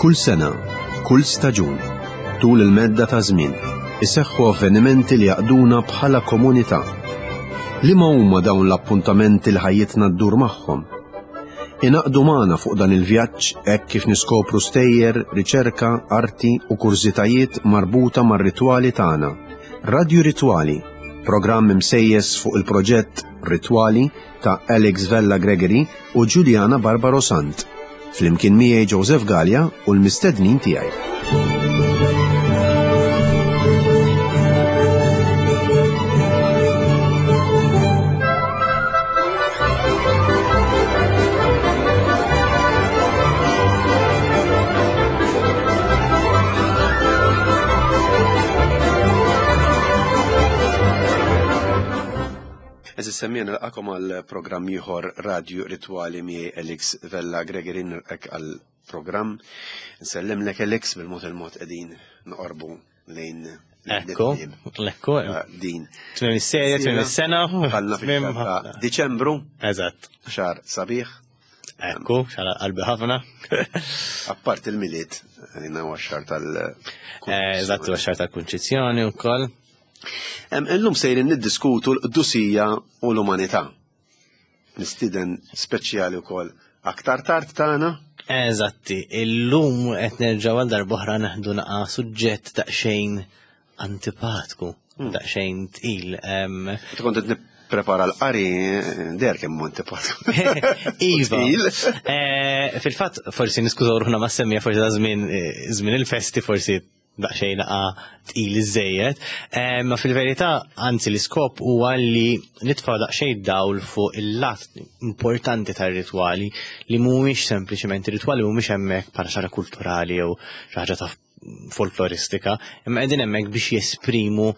Kull sena, kull staġun, tul il-medda ta' żmien, iseħħu avvenimenti li jaqduna bħala komunità. Liema huma dawn l-appuntamenti li ħajjitna ddur magħhom? Ingħaqdu magħna fuq dan il-vjaġġ hekk kif niskopru stejjer, riċerka, arti u kurżitajiet marbuta mar-ritwali tagħna. Radju Ritwali, programm imsejjes fuq il-proġett Ritwali ta' Alex Vella Gregory u Juliana Barbaro Sant. Flimkien miegħi Joseph Galea u l-mistednin tiegħi. Eżis semmija nilqakom għal programm ieħor Radio Ritwali miegħi Alex Vella Gregory nilqek għal programm. Nsellimlek Alex bil-mod il-mod qegħdin noqorbu lejn Ekku, ekku. Ah, din. Tmiem is-serja, tmiem is-sena. Għalna fil Diċembru. Eżatt. Xar sabiħ. Ekku, xar qalbi ħafna. Appart il-miliet, jina huwa xar tal. Eh, eżatt, huwa xar tal-kunċizzjoni wkoll. Illum sejrin niddiskutu l-qdusija u l-umanità. Mistiden speċjali wkoll aktar tard tagħna. Eżatti, illum qed nerġgħu għal darb'oħra naħdu naqa' suġġett daqsxejn antipatku, hmm. daqsxejn tqil. Kont qed nipprepara l-qari der kemm antipatku. Iva. Eh, fil-fatt forsi niskużaw ruħna ma' semmija forsi ta' żmien eh, żmien il-festi forsi daqsxejn naqa tqil iżejjed, eh, ma fil-verità anzi l-iskop huwa li nitfa' daqsxejn dawl fuq il-lat importanti tar-ritwali li mhumiex sempliċement ritwali mhumiex hemmhekk bħala xi kulturali jew xi ħaġa ta' folkloristika, imma qegħdin hemmhekk biex jesprimu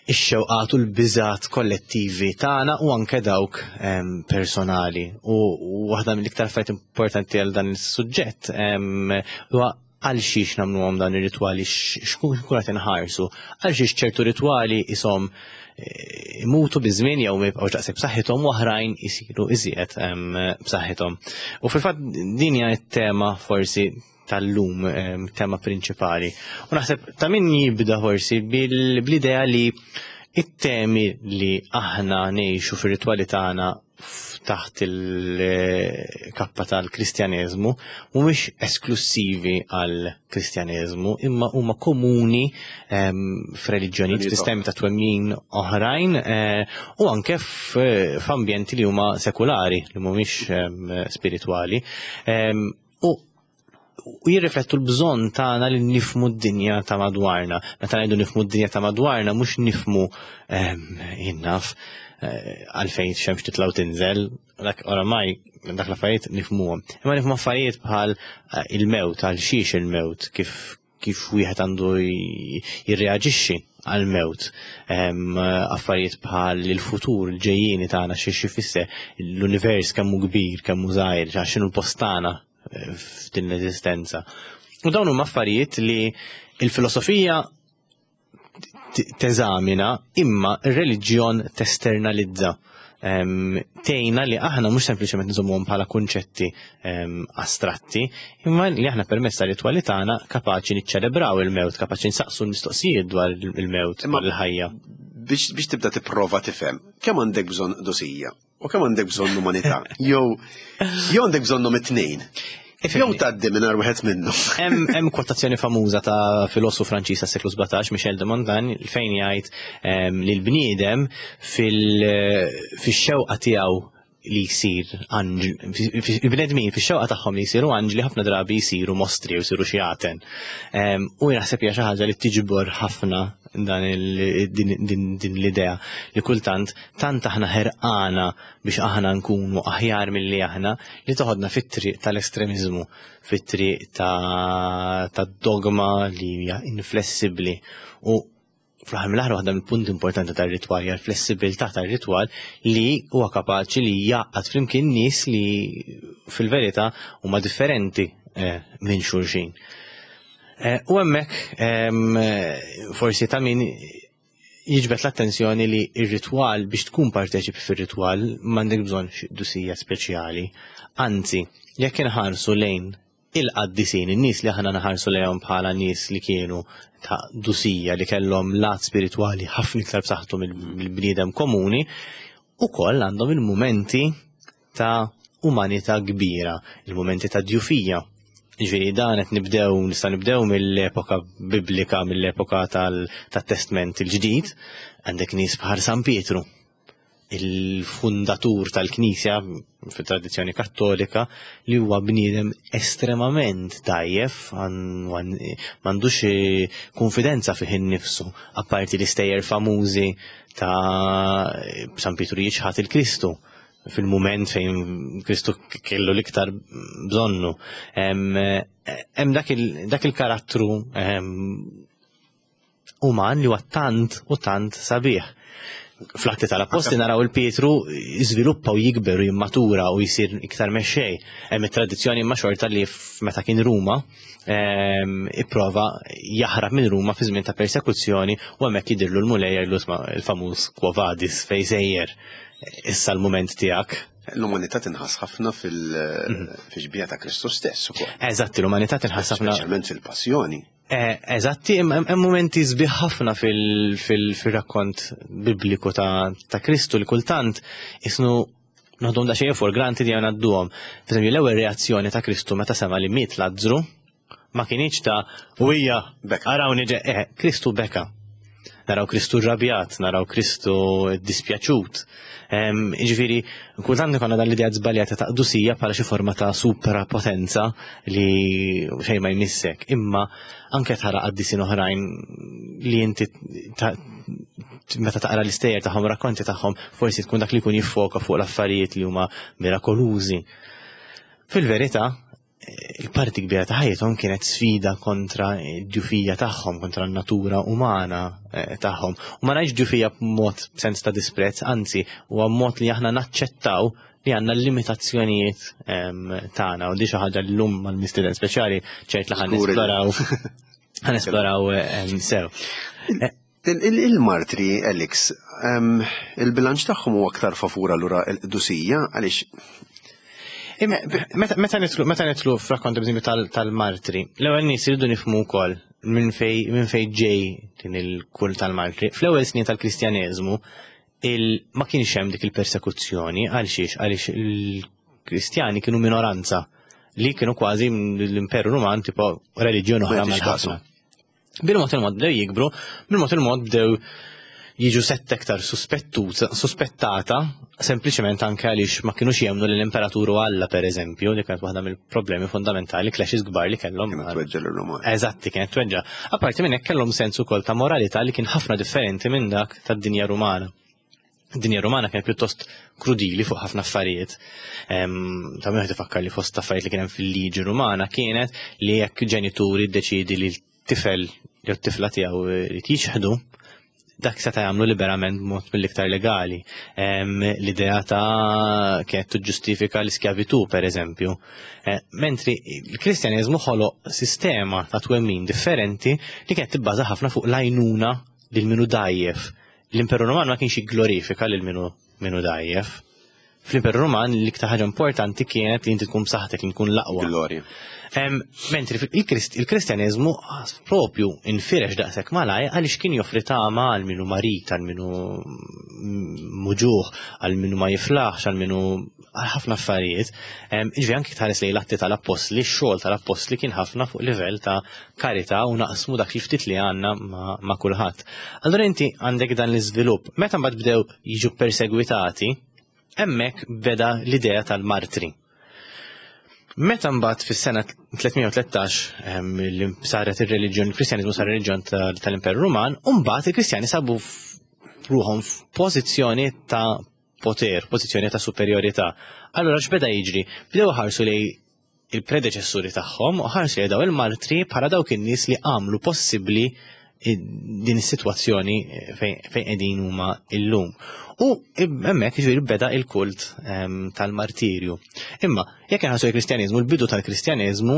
ix-xewqat u l-biżat kollettivi tagħna u anke dawk ehm, personali. U waħda mill-iktar affarijiet importanti għal dan is-suġġett ehm, huwa għal xiex nagħmluhom dan ir-ritwali, xkun qed inħarsu, għal xiex ċertu ritwali isom eh, imutu biż-żmien jew ma jibqgħux daqshekk b'saħħithom u oħrajn isiru iżjed b'saħħithom. U fil-fatt din hija t-tema forsi tal-lum, tema prinċipali. U naħseb ta' min jibda forsi bl-idea li it-temi li aħna ngħixu fir-ritwali tagħna taħt il-kappa tal-Kristjaneżmu mhumiex esklussivi għal Kristjaneżmu imma huma komuni ehm, f'reliġjonijiet, f'sistemi ta' twemmin oħrajn eh, u anke f'ambjenti li huma sekulari li mhumiex ehm, spiritwali. Ehm, u u jirriflettu l-bżonn tagħna li nifmu d-dinja ta' madwarna. Meta ngħidu nifmu d-dinja ta' madwarna mhux nifmu ehm, jinnaf eh, għalfejn xemx titla' u tinżel, dak oramai dak l-affarijiet nifmuhom. Imma nifmu affarijiet bħal eh, il-mewt, għal xiex il-mewt, kif kif wieħed għandu jirreaġixxi għal-mewt, ehm, affarijiet bħal il-futur, il-ġejjieni tagħna xi xi l-univers kemm hu kbir, kemm hu żgħir, x'inhu l-post tagħna eh, f'din l-eżistenza. U dawn huma affarijiet li il-filosofija teżamina imma r-reliġjon testernalizza. Tejna li aħna mhux sempliċement nżommuhom bħala kunċetti astratti, imma li aħna permezz tar-ritwali tagħna kapaċi niċċelebraw il-mewt, kapaċi nsaqsu l-mistoqsijiet dwar il-mewt, dwar il-ħajja. Biex tibda tipprova tifhem, kemm għandek bżonn dosija? U kemm għandek bżonn umanità? Jew jew għandek bżonnhom it-tnejn. Jew tgħaddi mingħajr wieħed minnhom. Hemm kwotazzjoni famuża ta' filosofu Franċiż tas-seklu 17, Michel de Montaigne, fejn jgħid ehm, li l-bniedem fil-xewqa tiegħu li jsir anġli, il-bnedmin fix-xewqa tagħhom li jsiru anġli ħafna drabi jsiru mostri u jsiru xjaten. Ehm, u naħseb hija xi ħaġa li tiġbor ħafna dan din l-idea li kultant tant aħna ħerqana biex aħna nkunu aħjar milli aħna li toħodna fit-triq tal-estremiżmu, fit-triq ta' ta' dogma li hija inflessibbli u fl-aħħar mill-aħħar waħda mill-punti importanti tar-ritwal hija l-flessibilità tar-ritwal li huwa kapaċi li jgħaqqad flimkien nies li fil-verità huma differenti eh, minn xulxin. Eh, u hemmhekk ehm, forsi ta' min jiġbed l-attenzjoni li ir-ritwal biex tkun parteċipi fir-ritwal m'għandek bżonn xi dusija speċjali. Anzi, jekk inħarsu lejn Il-qaddisin, in-nies li aħna naħarsu lejhom bħala nies li kienu ta' dusija, li kellhom lat spiritwali ħafna iktar b'saħħtu mill-bniedem komuni, ukoll għandhom il-mumenti ta' umanità kbira, il-mumenti ta' djufija. Ġifieri dan qed nibdew nista' nibdew mill-epoka biblika, mill-epoka tat-Testment il-Ġdid, għandek nies bħal San Pietru, il-fundatur tal-Knisja fit-tradizzjoni Kattolika, li huwa bniedem estremament dgħajjef, m'għandux kunfidenza fih innifsu, apparti l-istejjer famużi ta' San Pietru jiċħad il-Kristu fil-mument fejn Kristu kellu l-iktar bżonnu. Hemm dak il-karattru uman li huwa tant u tant sabiħ. Fl-Atti tal-Appostli naraw il-Pietru jiżviluppa u jikber u jimmatura u jsir iktar mexxej. Hemm it-tradizzjoni imma xorta li meta kien Ruma ipprova jaħrab minn Ruma fi żmien ta' persekuzzjoni u hemmhekk jidhirlu l-Mulej jgħidlu isma' il-famuż Quo Vadis fejn sejjer issa l-mument tiegħek. L-umanità tinħass ħafna fil-xbieha ta' Kristu stess ukoll. Eżatt, l-umanità tinħass ħafna. Speċjalment fil-passjoni. Eh, eżatti, hemm momenti sbieħ ħafna fil-rakkont bibliku ta' Kristu li kultant isnu noħdom da xejn for granted jew ngħadduhom. Per l-ewwel reazzjoni ta' Kristu meta sema li miet Lazzru ma kienx ta' u hija arawni eh, Kristu beka. Naraw Kristu rrabjat, naraw Kristu dispjaċut. Ġifieri, kultant ikollna dan l-idea żbaljata ta' qdusija bħala xi forma ta' suprapotenza li xejn ma jmissek. Imma anke tara qaddisin oħrajn li inti meta taqra l-istejjer tagħhom, rakkonti tagħhom, forsi tkun dak li jkun jiffoka fuq l-affarijiet li huma mirakolużi. Fil-verità, il-parti kbira ta' ħajjithom kienet sfida kontra d-djufija tagħhom, kontra n-natura umana eh, tagħhom. U ma ngħidx djufija b'mod sens ta' disprezz, anzi, huwa mod li aħna naċċettaw li għandna l-limitazzjonijiet ehm, tagħna u di xi ħaġa llum mal-mistieden speċjali ċert li ħan nesploraw ħan esploraw ehm, sew. Eh, il-martri, Alex, ehm, il-bilanċ tagħhom huwa aktar favur allura l-qdusija għaliex Meta nitlu meta nitlu f'rakkont tal-martri, l-ewwel nies iridu nifhmu wkoll minn fej minn fej ġej din il-kull tal-martri. Fl-ewwel snin tal-Kristjaneżmu ma kienx hemm dik il-persekuzzjoni għal xiex għaliex il-Kristjani kienu minoranza li kienu kważi l-Imperu Ruman tipo reliġjon oħra mal-ħafna. Bil-mod il-mod bdew jikbru, bil-mod il-mod bdew jiġu setta iktar suspettata, sempliċement anke għaliex ma kienux jemnu li l-imperatur u Alla per eżempju, li kienet waħda mill-problemi fundamentali, clashes kbar li kellhom. Kienet tweġġa l-Ruman. Eżatti, kienet tweġġa. Apparti minn hekk kellhom sens ukoll ta' moralità li kien ħafna differenti minn dak tad-dinja Rumana. Id-dinja Rumana kienet pjuttost krudili fuq ħafna affarijiet. Ta' minn ifakkar li fost affarijiet li kien hemm fil-liġi Rumana kienet li jekk ġenituri ddeċidi li l-tifel jew t-tifla tiegħu jrid jixħdu, dak seta' jagħmlu liberament b'mod mill-iktar legali. L-idea ta' kienet tiġġustifika l-iskjavitu, per eżempju. Eh, mentri l-Kristjaneżmu ħoloq sistema ta' twemmin differenti li kienet tibbaża ħafna fuq l-għajnuna lil minu dajjef. L-Imperu Ruman ma kienx jigglorifika lil minu minu dajjef. Fl-Imperu Ruman l-iktar ħaġa importanti kienet li inti tkun b'saħħtek li tkun l-aqwa. Glorja. Mentri il-Kristjaneżmu propju infirex daqshekk malaj għaliex kien joffri tama għal minu marit, għal minu muġuħ, għal minu ma jiflaħx, għal minu għal ħafna affarijiet. Ġifieri anki tħares lejn l-atti tal-appostli, x-xogħol tal-appostli kien ħafna fuq livell ta' karità u naqsmu dak li ftit li għandna ma' kulħadd. Allura inti għandek dan l-iżvilupp. Meta mbagħad bdew jiġu persegwitati, hemmhekk beda l-idea tal-martri. Meta mbagħad fis-sena 313 li saret ir-reliġjon, il-Kristjaniżmu sar reliġjon tal-Imperu Ruman, u mbagħad il-Kristjani sabu ruħhom f'pożizzjoni ta' poter, pożizzjoni ta' superjorità. Allura x'beda jiġri? Bdew ħarsu lej il-predeċessuri tagħhom u ħarsu lej daw il-martri bħala dawk in-nies li għamlu possibbli din is-sitwazzjoni fejn qegħdin huma illum. U hemmhekk jiġifieri beda il-kult ehm, tal-martirju. Imma jekk inħassu il-Kristjaniżmu, il-bidu tal-Kristjaniżmu,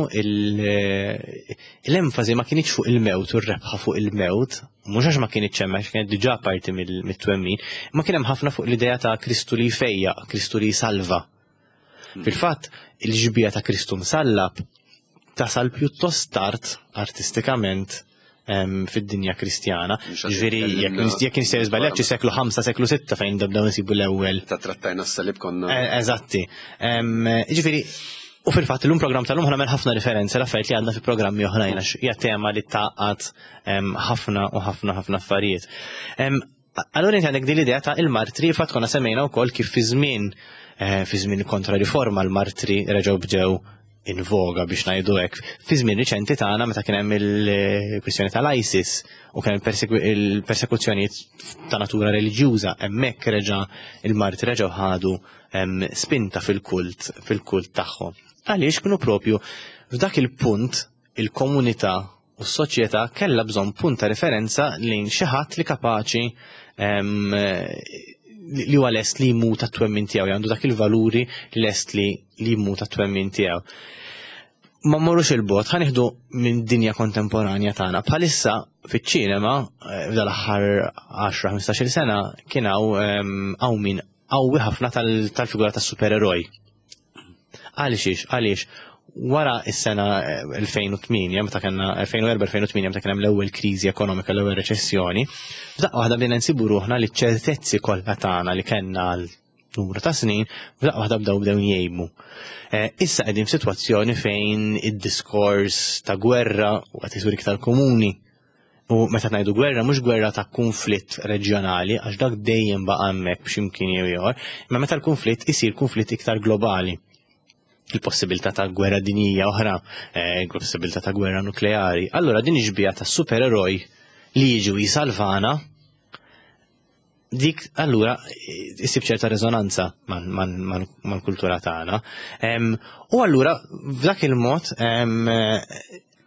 l-enfasi ma kienx fuq il-mewt u r-rebħa fuq il-mewt, mhux għax ma kienx hemm għax kienet diġà parti mit-twemmin, ma kien hemm ħafna fuq l-idea ta' Kristu li jfejjaq, Kristu li jsalva. Fil-fatt, il-ġbija ta' Kristu msallab tasal pjuttost tard artistikament fid-dinja Kristjana. Ġifieri jekk nistgħu żbaljat xi seklu 5, seklu 6 fejn nibdew nsibu l-ewwel. Ta' trattajna s-salib konna. E, eżatti. Ġifieri U fil-fatt l-lum program tal-lum ħanamel ħafna referenza l-affarijiet li għandna fi programmi oħrajn għax hija tema li taqgħad ħafna u ħafna ħafna affarijiet. Allura inti għandek din l-idea ta' il-martri, fatt konna semmejna wkoll kif fi żmien eh, fi żmien kontra-riforma l-martri reġgħu bdew in voga biex ngħidu hekk. Fi żmien riċenti tagħna meta kien hemm il-kwistjoni tal-ISIS u kien il-persekuzzjonijiet ta' natura reliġjuża, hemmhekk reġa' il-martri reġgħu ħadu spinta fil-kult fil-kult tagħhom. Għaliex kienu propju f'dak il-punt il-komunità u s-soċjetà kellha bżonn punt ta' referenza lejn xi ħadd li kapaċi li huwa lest li jmut għat-twemmin tiegħu, għandu dak il-valuri lest li jmut għat-twemmin tiegħu. Ma mmorrux il-bot, ħa nieħdu minn dinja kontemporanja tagħna. Bħalissa fiċ-ċinema, eh, f'dal-aħħar 10-15 sena, kien hawn hawn min qawwi ħafna tal-figura tas-supereroj. Għaliex, għaliex, wara is-sena 2008, eh, meta kellna 2004-2008, meta kien hemm l-ewwel kriżi ekonomika, l-ewwel reċessjoni, f'daqqa waħda bdejna nsibu ruħna li ċertezzi kollha tagħna li kellna għal numru ta' snin, f'daqqa waħda bdew bdew jgħibu. Eh, issa qegħdin f'sitwazzjoni fejn id-diskors ta' gwerra u qed isir iktar komuni. U meta ngħidu gwerra mhux gwerra ta' kunflitt reġjonali għax dak dejjem baqa' hemmhekk b'xi jew ieħor, imma meta l-kunflitt isir kunflitt iktar globali. Il-possibilità ta' gwerra dinjija oħra, eh, il-possibilità ta' gwerra nukleari. Allura din ixbija ta' supereroj li jiġu jisalvana dik allura issib ċerta rezonanza mal-kultura tagħna. U allura f'dak il-mod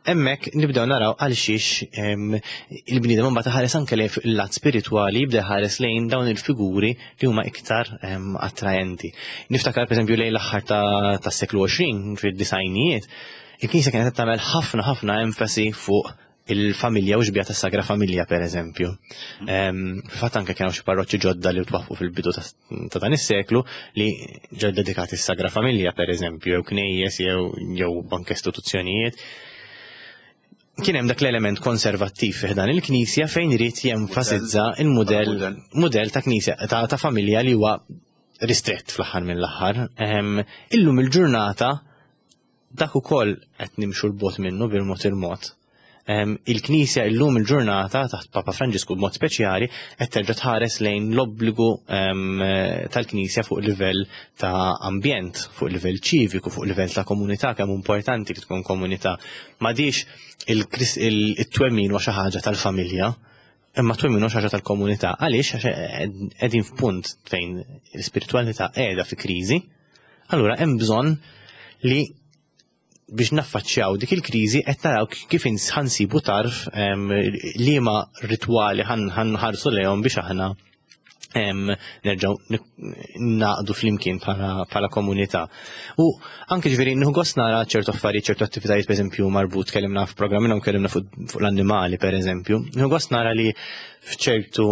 hemmhekk nibdew naraw għal xiex il-bniedem imbagħad ħares anke lejn il-lat spiritwali jibda ħares lejn dawn il-figuri li huma iktar attraenti. Niftakar pereżempju lejn l-aħħar tas-seklu 20 fid-disajnijiet, il-Knisja kienet tagħmel ħafna ħafna enfasi fuq il-familja u xbija tas-Sagra Familja per eżempju. Fil-fatt anke kienu xi parroċċi ġodda li twaffqu fil-bidu ta' dan is-seklu li ġew dedikati s-Sagra Familja per eżempju, jew knejjes jew jew anke istituzzjonijiet. Kien hemm dak l-element konservattiv fi dan il-knisja fejn irid jenfasizza il-mudell mudell ta' knisja ta' familja li huwa ristrett fl-aħħar mill-aħħar. Illum il-ġurnata Dak ukoll qed nimxu 'l bogħod minnu bil-mod il-mod. Il-Knisja illum il-ġurnata taħt Papa Franġisku b'mod speċjali qed terġa' tħares lejn l-obbligu tal-Knisja fuq livell ta' ambjent, fuq livell ċiviku, fuq livell ta' komunità, kemm importanti li tkun komunità. M'għadix il-twemmin huwa xi ħaġa tal-familja, imma twemmin huwa xi ħaġa tal-komunità. Għaliex għax qegħdin f'punt fejn l-ispiritwalità qiegħda fi kriżi, Allura hemm bżonn li biex naffaċċjaw dik il-kriżi qed naraw kif ħansibu tarf liema ritwali ħanħarsu lejhom biex aħna nerġgħu naqdu flimkien bħala komunità. U anke ġifieri nieħu gost nara ċertu affarijiet, ċertu attivitajiet pereżempju marbut kellimna f'programm minnhom kellimna fuq l-annimali pereżempju. Nieħu gost nara li f'ċertu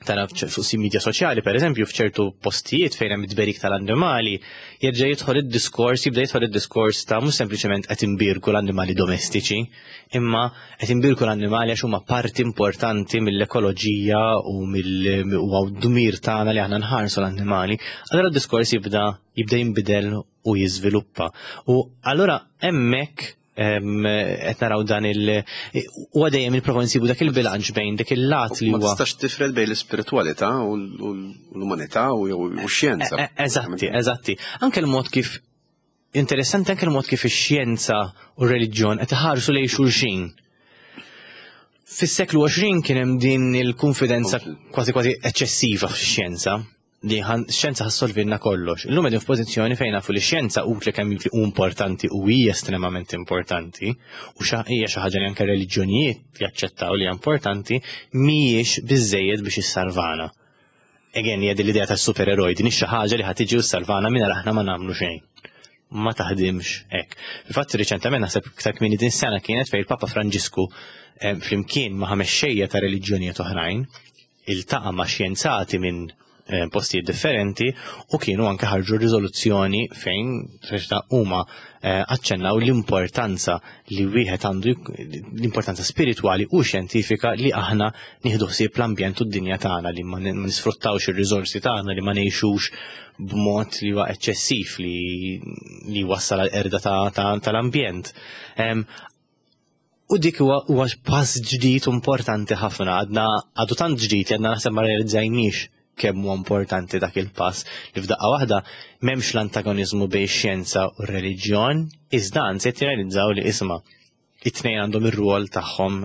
tara fuq si media soċjali per eżempju f'ċertu postijiet fejn hemm it-tberik tal-annimali jerġa' jidħol id-diskors, jibda jidħol id-diskors ta' mhux sempliċement qed imbierku l-annimali domestiċi, imma qed imbierku l-annimali għax huma parti importanti mill-ekoloġija u mill-dmir tagħna li aħna nħarsu l-annimali. Allura d-diskors jibda jibda jinbidel u jiżviluppa. U allura hemmhekk qed naraw dan il huwa dejjem nipprova nsibu dak il-bilanċ bejn dik il-lat li huwa. Ma tistax tifred bejn l-ispiritwalità u l-umanità u x-xjenza. E, e, eżatti, eżatti. Anke l-mod kif interessanti anke l-mod kif ix-xjenza u r-reliġjon qed iħarsu lejn xulxin. Fis-seklu 20 kien hemm din il-konfidenza kważi kważi eċċessiva fix-xjenza li xjenza ħassolvilna kollox. Illum qegħdin f'pożizzjoni fejn nafu li xjenza utli kemm utli u importanti u hija estremament importanti u hija xi ħaġa li anke reliġjonijiet jaċċettaw li hija importanti mhijiex biżejjed biex issalvana. Again, hija din l-idea ta' supereroj, din xi ħaġa li ħad tiġi u ssalvana mingħajr aħna ma nagħmlu xejn. Ma taħdimx hekk. Fil-fatt riċentement naħseb iktar kmieni din sena kienet fejn il-Papa Franġisku eh, flimkien ma' ħames xejja ta' reliġjonijiet oħrajn iltaqa' ma' xjenzati minn postijiet differenti u kienu anke ħarġu riżoluzzjoni fejn ta' huma aċċennaw l-importanza li wieħed għandu, l-importanza spiritwali u xjentifika li aħna nieħdu ħsieb l-ambjent u d-dinja tagħna, li ma nisfruttawx ir-riżorsi tagħna, li ma ngħixux b'mod li huwa eċċessiv li wassal għal erda tal-ambjent. U dik huwa pass ġdid importanti ħafna, għadna għadu tant ġdid li għadna naħseb ma realizzajniex kemm huwa importanti dak il-pass li f'daqqa waħda m'hemmx l-antagonizmu bejn xjenza u r-reliġjon, iżda anzi qed jirrealizzaw li isma' it-tnejn għandhom ir-rwol tagħhom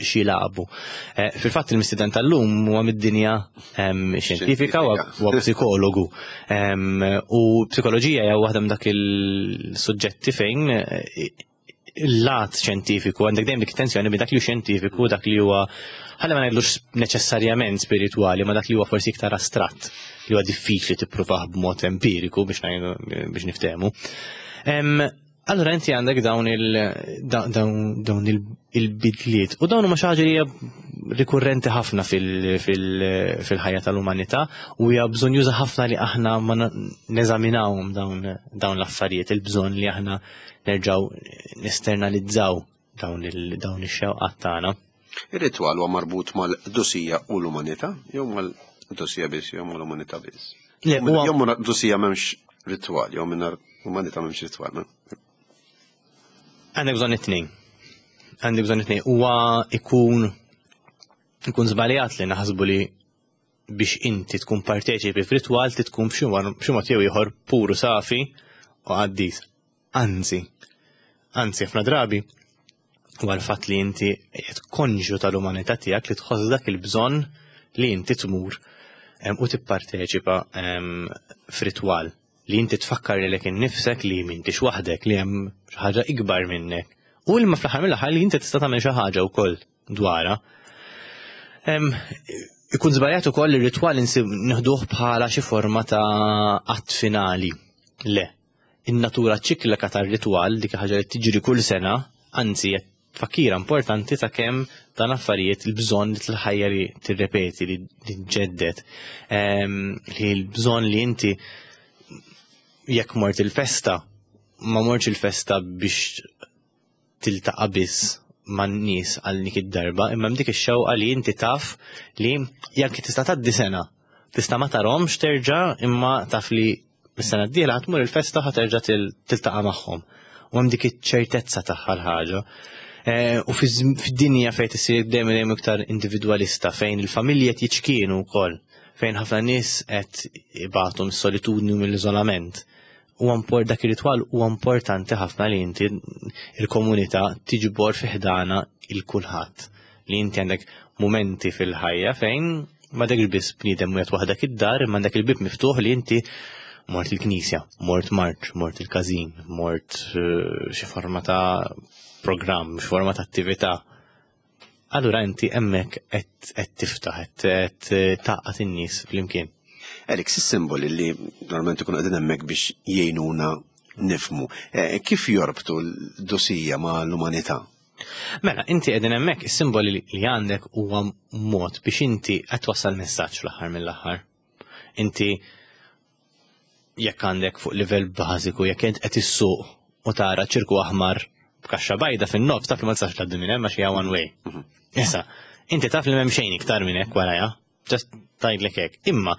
x'jilagħbu. Fil-fatt il-mistieden tal-lum huwa mid-dinja xjentifika, huwa psikologu. U psikoloġija hija waħda minn dak il-suġġetti fejn il-lat xjentifiku għandek dejjem dik tensjoni bejn dak li hu xjentifiku, dak li huwa, ħalli ma ngħidlux neċessarjament spiritwali, ma dak li huwa forsi iktar astratt, li huwa diffiċli tippruvah b'mod empiriku biex ngħidu biex niftehmu. Allura inti għandek dawn il-bidliet u dawn huma xi ħaġa li hija rikurrenti ħafna fil-ħajja tal-umanità u hija bżonn juża ħafna li aħna ma neżaminawhom dawn l-affarijiet, il-bżonn li aħna nerġgħu nesternalizzaw dawn ix-xewqat tagħna. Ir-ritwal huwa marbut mal-qdusija u l-umanità jew mal-qdusija biss jew mal-umanità biss? Le, huwa Jew mal-qdusija m'hemmx ritwal, jew mingħajr umanità m'hemmx ritwal, ma? Għandek bżonn it-tnejn. Għandek bżonn it-tnejn. Huwa ikun żbaljat li naħsbu li biex inti tkun parteċipi f'ritwal ti tkun b'xi mod jew ieħor puru, safi u qaddis. Anzi, anzi ħafna drabi huwa l-fatt li inti qed konxju tal-umanità tiegħek li tħoss dak il-bżonn li inti tmur u tipparteċipa f'ritwal, li inti tfakkar lilek innifsek li m'intix waħdek, li hemm xi ħaġa ikbar minnek. U imma fl-aħħar mill-aħħar li inti tista' tagħmel xi ħaġa wkoll dwarha. Ikun żbaljat ukoll li r-ritwal nieħduh bħala xi forma ta' att finali. Le, in-natura ċiklika tar-ritwal, dik ħaġa li tiġri kull sena, anzi hija tfakkira importanti ta' kemm dan affarijiet il-bżonn li l-ħajja li tirrepeti, li tġedded, li l-bżonn li inti jekk mort il-festa, ma mortx il-festa biex tiltaqa' biss man-nies għal dik id-darba, imma hemm dik ix-xewqa li inti taf li jekk tista' tgħaddi sena, tista' ma tarhomx terġa', imma taf li is-sena d-dieħla ħa tmur il-festa ħa terġa' tiltaqa' magħhom. U hemm dik iċ-ċertezza tagħha l-ħaġa. U fid-dinja fejn tisir dejjem dejjem iktar individwalista, fejn il-familji qed jiċkienu wkoll, fejn ħafna nies qed ibatu mis-solitudni u mill-iżolament. U dak ir-ritwal huwa importanti ħafna li inti il-komunità tiġbor fi ħdana il-kulħadd. Li inti għandek momenti fil-ħajja fejn ma dak biss bniedem wieħed waħdek id-dar, imma għandek il-bib miftuħ li inti mort il-knisja, mort marċ, mort il-każin, mort xi forma ta' programm, xi forma ta' attività. Allura inti hemmhekk qed tiftaħ, qed tgħaqqad in-nies flimkien. Erik, is-simboli li normalment ikunu qegħdin hemmhekk biex jgħinuna nifhmu, kif jorbtu l-dosija ma' l-umanità? Mela, inti qegħdin hemmhekk, is-simboli li għandek huwa mod biex inti qed twassal messaġġ fl-aħħar mill-aħħar. Inti jekk għandek fuq livell bażiku, jekk int qed issuq u tara ċirku aħmar b'kaxxa bajda fin-nofs, taf li ma tistax tgħaddi minn hemm għax hija one way. Issa, inti taf li m'hemm xejn iktar minn hekk warajha, just tgħidlek hekk. Imma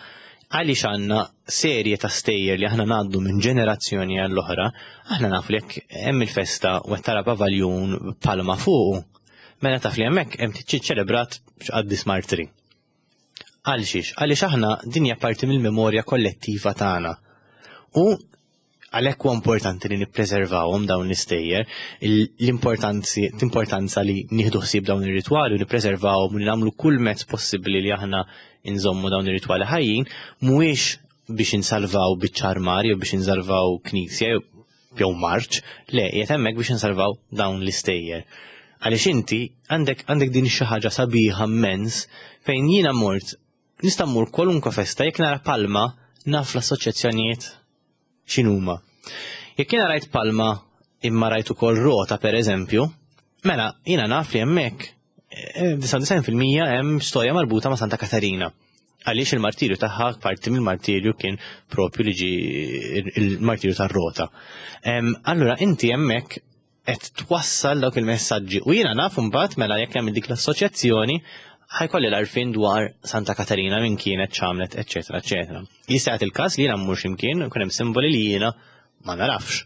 għaliex għandna serje ta' stejjer li aħna ngħaddu minn ġenerazzjoni għall-oħra, aħna nafu li jekk hemm il-festa u qed tara pavaljun palma fuqu, mela taf li hemmhekk hemm tiċċelebrat x'qaddis martri. Għal xiex? Għaliex aħna din hija parti mill-memorja kollettiva tagħna. U għalhekk huwa importanti li nippreservawhom dawn l-istejjer, l-importanza li nieħdu ħsieb dawn ir-ritwali u nippreservawhom u li nagħmlu kull mezz possibbli li aħna nżommu dawn ir-ritwali ħajjin, mhuwiex biex insalvaw biċċa armar jew biex insalvaw knisja jew marċ, le, qiegħed hemmhekk biex insalvaw dawn l-istejjer. Għaliex inti għandek din xi ħaġa sabiħa immens fejn jiena mort, nista' mmur kwalunkwe festa jekk nara palma naf l-assoċjazzjonijiet x'inhuma. Jekk jiena rajt palma imma rajt ukoll rota pereżempju, mela jiena naf li hemmhekk 99% hemm storja marbuta ma' Santa Katarina. Għaliex il-martirju tagħha parti mill-martirju kien propju li ġi il-martirju tar-rota. Allura inti hemmhekk qed twassal dawk il-messaġġi u jiena naf imbagħad mela jekk hemm dik l-assoċjazzjoni ħajkolli l-arfin dwar Santa Katarina minn kienet x'għamlet, eċetera, eċetera. Jista' jagħti il-każ li jiena mmur x'imkien u hemm simboli li jiena ma narafx.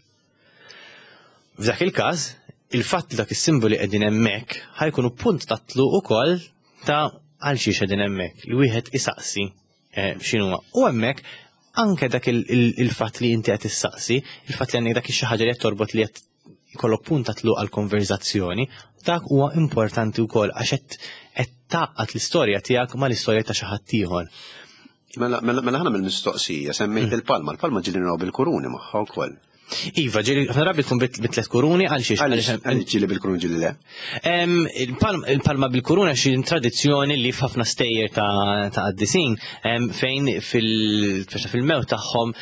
F'dak il-każ, il-fatt li dak is-simboli qegħdin hemmhekk ħajkunu punt ta' tluq ukoll ta' għal xiex qegħdin hemmhekk li wieħed isaqsi eh, x'inhuwa. U hemmhekk anke dak il-fatt li inti qed issaqsi, il-fatt li għandek dak xi ħaġa li qed torbot li qed jkollok punt ta' tluq għal konverzazzjoni, dak huwa importanti wkoll għax qed tgħaqqad l-istorja tiegħek mal-istorja ta' xi ħadd ieħor. Mela, mela, mela ħana mill-mistoqsija semmejt mm. il-palma, il-palma ġieli naraw bil-kuruni magħha wkoll. Iva, ġili, ħafna drabi tkun bit-tlet kuruni għal xiex. Għaliex ġili bil-kuruni ġili le? Il-palma bil-kuruna xi tradizzjoni li f'ħafna stejjer ta' qaddisin fejn fil-mewt tagħhom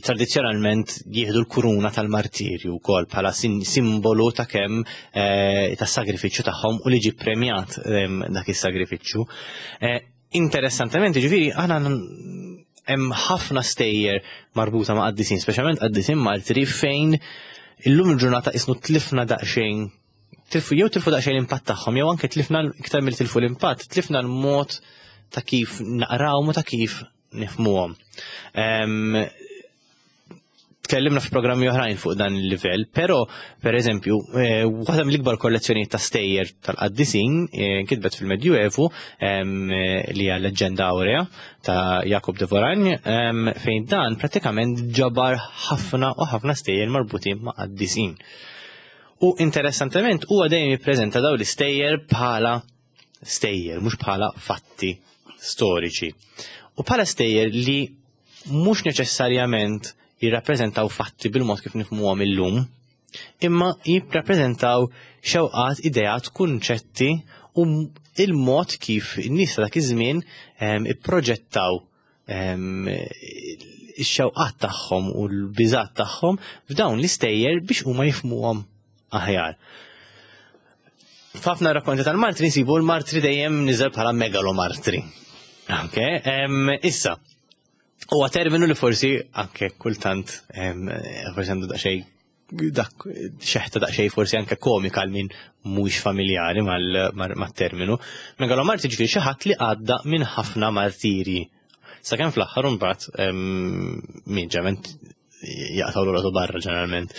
tradizzjonalment jieħdu l-kuruna tal-martirju wkoll bħala simbolu ta' kemm eh, tas sagrifiċċju tagħhom u li ġi premjat dak is-sagrifiċċju. Eh, interessantement, ġifieri aħna hemm ħafna stejjer marbuta ma' qaddisin, speċjalment qaddisin martri fejn illum il-ġurnata isnu tlifna daqsxejn tilfu jew tilfu daqsxejn l-impatt tagħhom jew anke tlifna iktar mill tilfu l-impatt, tlifna l-mod ta' kif naqrawhom u ta' kif nifhmuhom. Tkellimna f'programmi oħrajn fuq dan il-livell, però per eżempju, eh, waħda mill-ikbar kollezzjonijiet ta' stejjer tal-qaddisin eh, kitbet fil-Medjuevu eh, li hija Leġġenda Aurea ta' Jakob de Voragne, fejn dan pratikament ġabar ħafna u ħafna stejjer marbutin ma' qaddisin. U interessantement huwa dejjem jippreżenta dawn l-istejjer bħala stejjer, mhux bħala fatti storiċi. U bħala stejjer li mhux neċessarjament jirrappreżentaw fatti bil-mod kif nifhmuhom illum, imma jirrappreżentaw xewqat, ideat, kunċetti u il-mod kif in-nies ta' dak iż-żmien ehm, ipproġettaw ehm, ix-xewqat tagħhom u l-biżat tagħhom f'dawn l-istejjer biex huma jifhmuhom aħjar. F'ħafna rakkonti tal-martri nsibu l-martri dejjem niżel bħala megalomartri. Ok, issa, huwa terminu li forsi anke kultant forsi għandu daqsxejn dak xeħta daqsxejn forsi anke komika għal min mhuwiex familjari mat-terminu. Megalomartri ġifieri xi ħadd li għadda minn ħafna martiri. Sakemm fl-aħħar imbagħad min ġement jaqtaw l barra ġeneralment.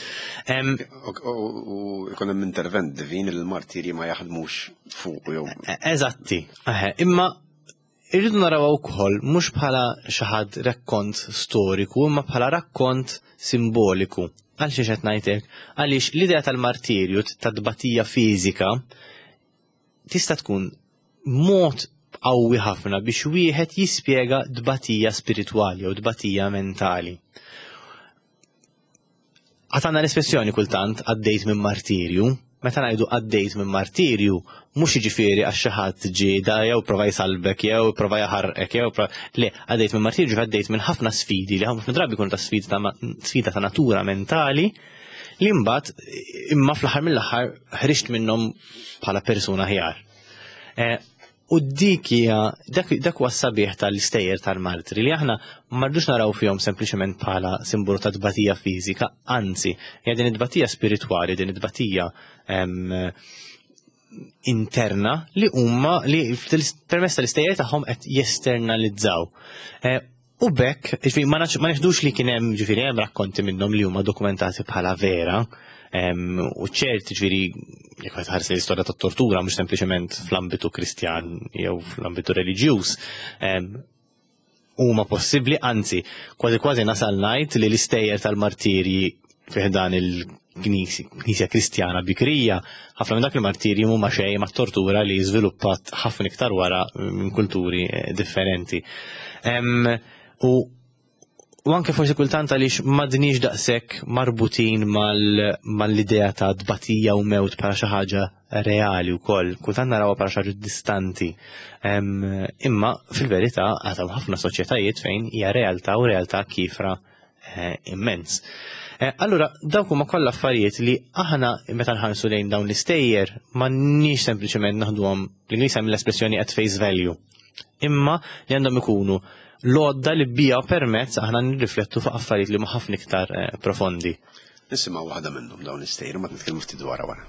U jkun hemm intervent divin li l-martiri ma jaħdmux fuq jew. E, eżatti, imma irridu naraw ukoll mhux bħala xi ħadd rakkont storiku, imma bħala rakkont simboliku. Għal xi qed ngħidlek? Għaliex l-idea tal-martirju tad-tbatija fiżika tista' tkun mod qawwi ħafna biex wieħed jispjega tbatija spiritwali jew tbatija mentali. Għatanna l-espressjoni kultant għaddejt minn martirju, meta ngħidu għaddejt minn martirju, mhux jiġifieri għax xi ħadd ġie da jew prova jsalbek jew prova jaħarqek jew le, għaddejt minn martirju għaddejt minn ħafna sfidi li ħafna drabi jkunu ta' sfida ta' natura mentali li mbagħad imma fl-aħħar mill-aħħar ħriġt minnhom bħala persuna ħjar. Eh, u dik hija dak huwa sabiħ tal-istejjer tal-martri li aħna ma rridux naraw fihom sempliċement bħala simbolu ta' tbatija fiżika, anzi, hija din it-tbatija spiritwali, din it-tbatija interna li huma li permezz tal-istejjer tagħhom qed jesternalizzaw. Eh, U b'hekk, jiġifieri ma neħdux li kien hemm ġifieri hemm rakkonti minnhom li huma dokumentati bħala vera, u ċert ġifieri jekk qed ħares l-istorja tat-tortura mhux sempliċement fl-ambitu Kristjan jew fl-ambitu reliġjuż, huma possibbli, anzi, kważi kważi nasal ngħid li l-istejjer tal-martirji fi ħdan il-Knisja Kristjana bikrija, ħafna minn dak il-martirji huma xejn ma' tortura li żviluppat ħafna iktar wara minn kulturi eh, differenti. U u anke forsi kultant għaliex m'għadniex daqshekk marbutin mal-idea ta' tbatija u mewt bħala xi ħaġa reali wkoll, kultant narawha bħala xi ħaġa distanti. Imma fil-verità għad ħafna soċjetajiet fejn hija realtà u realtà kifra Eh, immens. Eh, allura, dawk huma kollha affarijiet li aħna meta nħarsu lejn dawn l-istejjer m'għandniex sempliċement naħduhom l-Ingliż hemm l-espressjoni at face value. imma li għandhom ikunu l-għodda li bija permezz aħna nirriflettu fuq affarijiet li huma ħafna iktar eh, profondi. Nisimgħu waħda minnhom dawn l-istejjer ma nitkellmu ftit dwarha wara.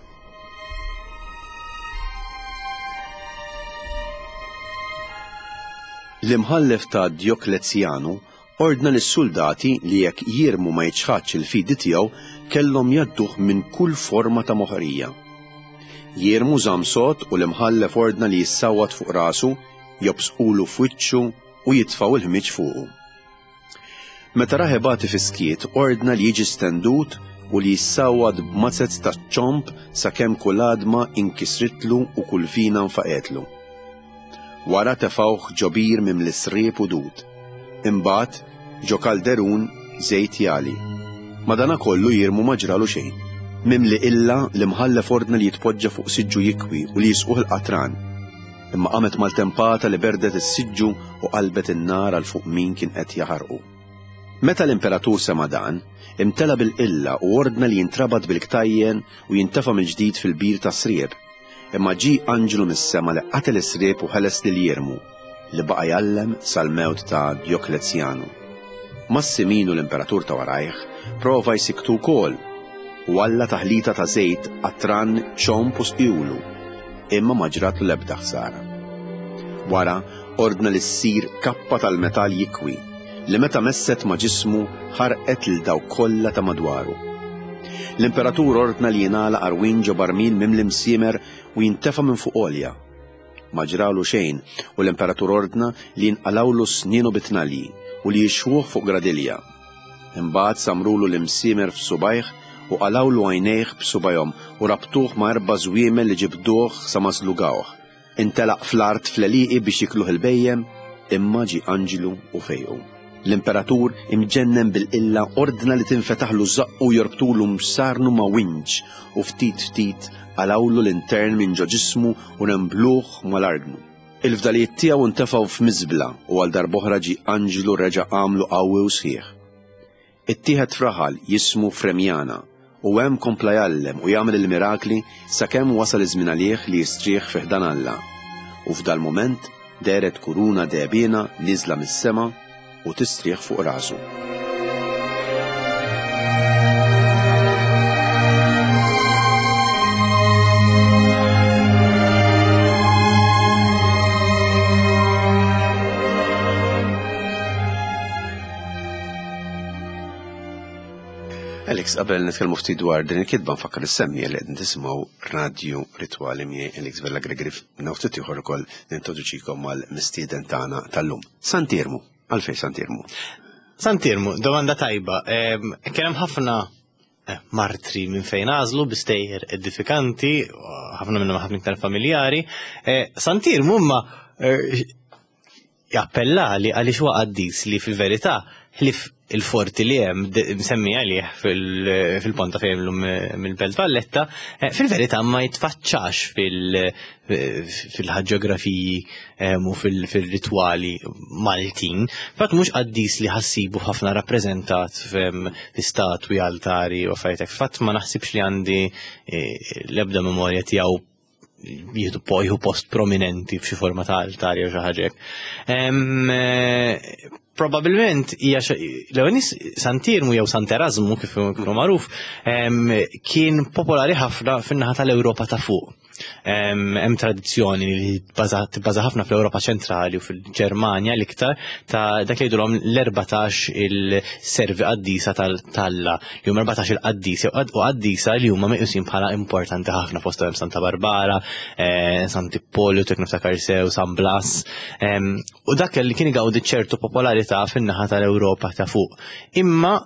L-imħallef ta' Djoklezjanu ordna lis-suldati li jekk Jirmu ma jiċħadx il-fidi tiegħu kellhom jgħadduh minn kull forma ta' moħqrija. Jirmu żamm sod u l-imħallef ordna li jissawwat fuq rasu, jobsqulu f'wiċċu u jitfgħu l-ħmieġ fuqu. Meta rah ibati fis-skiet, ordna li jiġi stendut u li jissawwat b'mazez taċ-ċomb sakemm kull għadma inkisritlu u kull vina nfaqgħetlu. Wara tefgħuh ġo bir mimli sriep u dud. Imbagħad, ġo kalderun żejt jagħli. Madanakollu Jirmu ma ġralu xejn. Mimli qilla, l-imħallef ordna li jitpoġġa fuq siġġu jikwi u li jisquh il-qatran. Imma qamet maltempata li berdet is-siġġu u qalbet in-nar għal fuq min kien qed jaħarqu. Meta l-imperatur sema' dan, imtela bil-qilla u ordna li jintrabat bil-ktajjen u jintefa' mill-ġdid fil-bir tas-sriep. Imma ġie anġlu mis-sema li qatel is-sriep u ħeles lil Jirmu, li baqa' jgħallem sal-mewt ta' Djoklezjanu. Massiminu l-imperatur ta' warajh prova jsikktu wkoll u għalla taħlita ta' żejt, qatran, ċomb u sqjulu, imma ma ġratlu l-ebda ħsara. Wara ordna li ssir kappa tal-metall jikwi li meta messet ma' ġismu ħarqet lil dawk kollha ta' madwaru. L-imperatur ordna li jingħalaq għarwien ġo barmil mimli msiemer u jintefa' minn fuq għolja. Ma ġralu xejn u l-imperatur ordna li jinqalgħulu snienu bit-tnalji u li jixwuh fuq gradilja. Imbagħad samrulu l-imsiemer f'subgħajh u qalgħulu għajnejh b'subgħajhom u rabtuh ma' erba' żwiemel li ġibduh sa ma żlugawh. Intelaq fl-art fl-għelieqi biex jikluh il-bhejjem, imma ġie anġlu u fejqu. L-imperatur, imġennen bil-qilla, ordna li tinfetaħlu żaqqu u jorbtulu msarnu ma' winċ u ftit ftit qalgħulu l-intern minn ġo ġismu u rembluh mal-argnu. Il-fdalijiet tiegħu ntefgħu f'miżbla u għal darb'oħra ġie anġlu reġa' għamlu qawwi u sħiħ. Ittieħed f'raħal jismu Fremjana u hemm kompla jgħallem u jagħmel il-mirakli sakemm wasal iż-żmien għalih li jistrieħ fi ħdan Alla. U f'dal-mument dehret kuruna dehbiena nieżla mis-sema u tistrieħ fuq rasu. Alex, qabel nitkellmu ftit dwar din il-kitba nfakkar is-semmi li qed tisimgħu Radio Ritwali miegħi Alex Vella Gregory ftit ieħor ukoll nintroduċikom mal-mistieden tagħna tal-lum. Sant'Iermu, għalfejn Sant'Iermu? Sant'Iermu, domanda tajba. Kien hemm ħafna eh, martri minn fejn għażlu bi stejjer edifikanti, ħafna minnhom ħafna iktar familjari. Eh, Sant'Iermu imma eh, jappellali għaliex huwa qaddis li fil-verità ħlief il-forti li hemm msemmi għalih fil-ponta fejn llum mill-Belt Valletta, eh, fil-verità ma jitfaċċax fil-ħaġġografiji eh, u fil-ritwali Maltin. Fatt mhux qaddis li ħassibu ħafna rappreżentat fi statwi, altari u affarijiet hekk. Fatt ma naħsibx li għandi eh, l-ebda memorja tiegħu jieħdu jieħu post prominenti f'xi forma ta' altar jew xi ħaġa hekk. Eh, probabilment hija l-ewwel nies Sant'Irmu jew Sant'Erasmu kif kienu magħruf kien popolari ħafna fin-naħa tal-Ewropa ta' fuq. Hemm tradizzjoni li tibbaża ħafna fl-Ewropa ċentrali u fil-Ġermanja l-iktar ta' dak li jgħidulhom l-14 il-servi qaddisa tal-Alla, li huma 14 il-qaddis jew u qaddisa li huma meqjusin bħala importanti ħafna fosthom hemm Santa Barbara, eh, Sant'Ippolitu, jekk niftakar sew, San Blas. U dak li kien igawdi ċertu popolarità fin-naħa tal-Ewropa ta' fuq. Imma